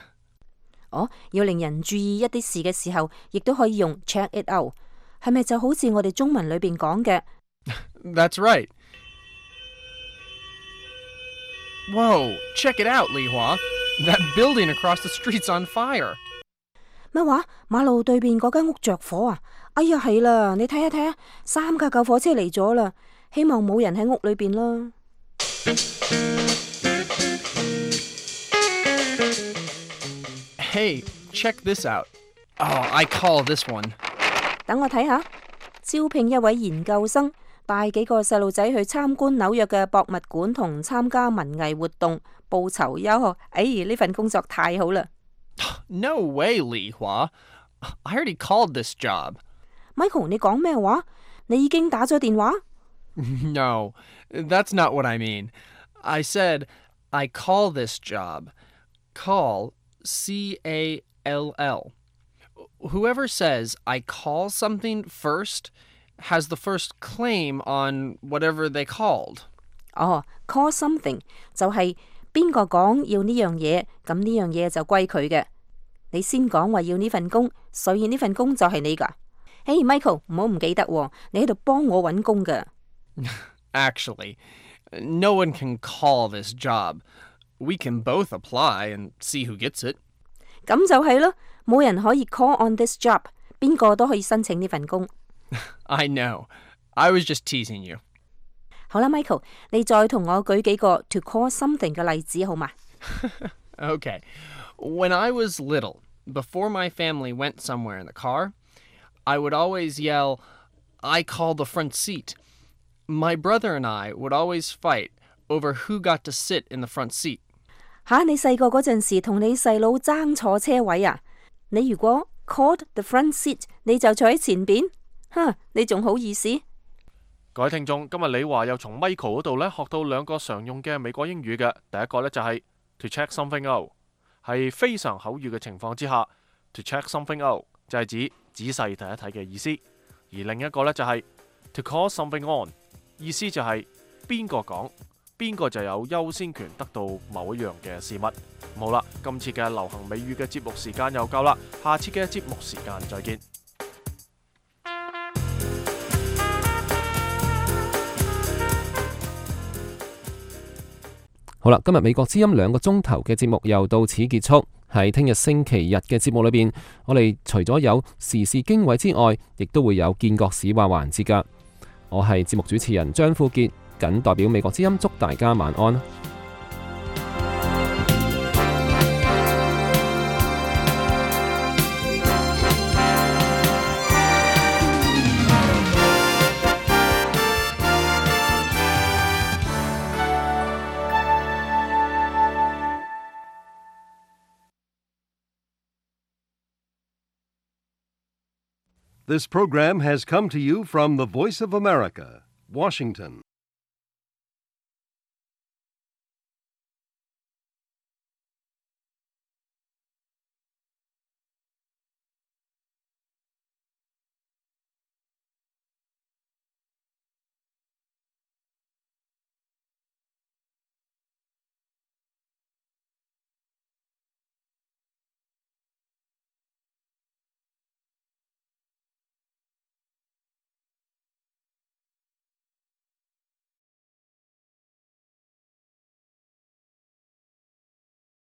要令人注意一啲事嘅時候，亦都可以用 check it out， 係咪就好似我哋中文裏邊講嘅 That's right. Whoa, check it out, Li Hua. That building across the street's on fire. 咩話？馬路對面嗰間屋着火啊！哎呀，係啦，你睇下，3架救火車嚟咗啦，希望冇人喺屋裏邊啦。Hey, check this out. Oh, I call this one. 等我睇下，招聘一位研究生，帶幾個細路仔去參觀紐約嘅博物館同參加文藝活動，報酬優厚。哎，呢份工作太好啦！ No way, Li Hua. I already called this job. Michael， 你講咩話？你已經打咗電話？ No, that's not what I mean. I said I call this job. Call, C-A-L-L. Whoever says I call something first has the first claim on whatever they called. Call something 就係邊個講要呢樣嘢，咁呢樣嘢就歸佢嘅。你先講話要呢份工，所以呢份工就係你㗎。Hey Michael， 唔好唔記得喎，你喺度幫我揾工㗎。Actually, no one can call this job. We can both apply and see who gets it. 咁就係咯，冇人可以 call on this job， 邊個都可以申請呢份工。I know. I was just teasing you. 好啦 ，Michael， 你再同我舉幾個 to call something 嘅例子好嘛？ Okay. When I was little, before my family went somewhere in the car, I would always yell, I call the front seat. My brother and I would always fight over who got to sit in the front seat. 你細個嗰陣時同你細佬爭坐車位啊？你如果 called the front seat， 你就坐喺前邊，你仲好意思？各位聽眾，今日李華又從 Michael 嗰度呢學到2個常用嘅美國英語嘅。第一個呢就係 to check something out， 係非常口語嘅情況之下 to check something out 就係指仔細睇一睇嘅意思。而另一個呢就係 to call something on， 意思就係邊個講，邊個就有優先權得到某一樣嘅事物。好啦，今次嘅流行美語嘅節目時間又夠啦，下次嘅節目時間再見。好啦，今日美國之音2個鐘頭嘅節目又到此結束。喺聽日星期日嘅節目裏邊，我哋除咗有時事經緯之外，亦都會有見國史話環節噶。我係節目主持人張富傑，謹代表美國之音祝大家晚安。This program has come to you from the Voice of America, Washington.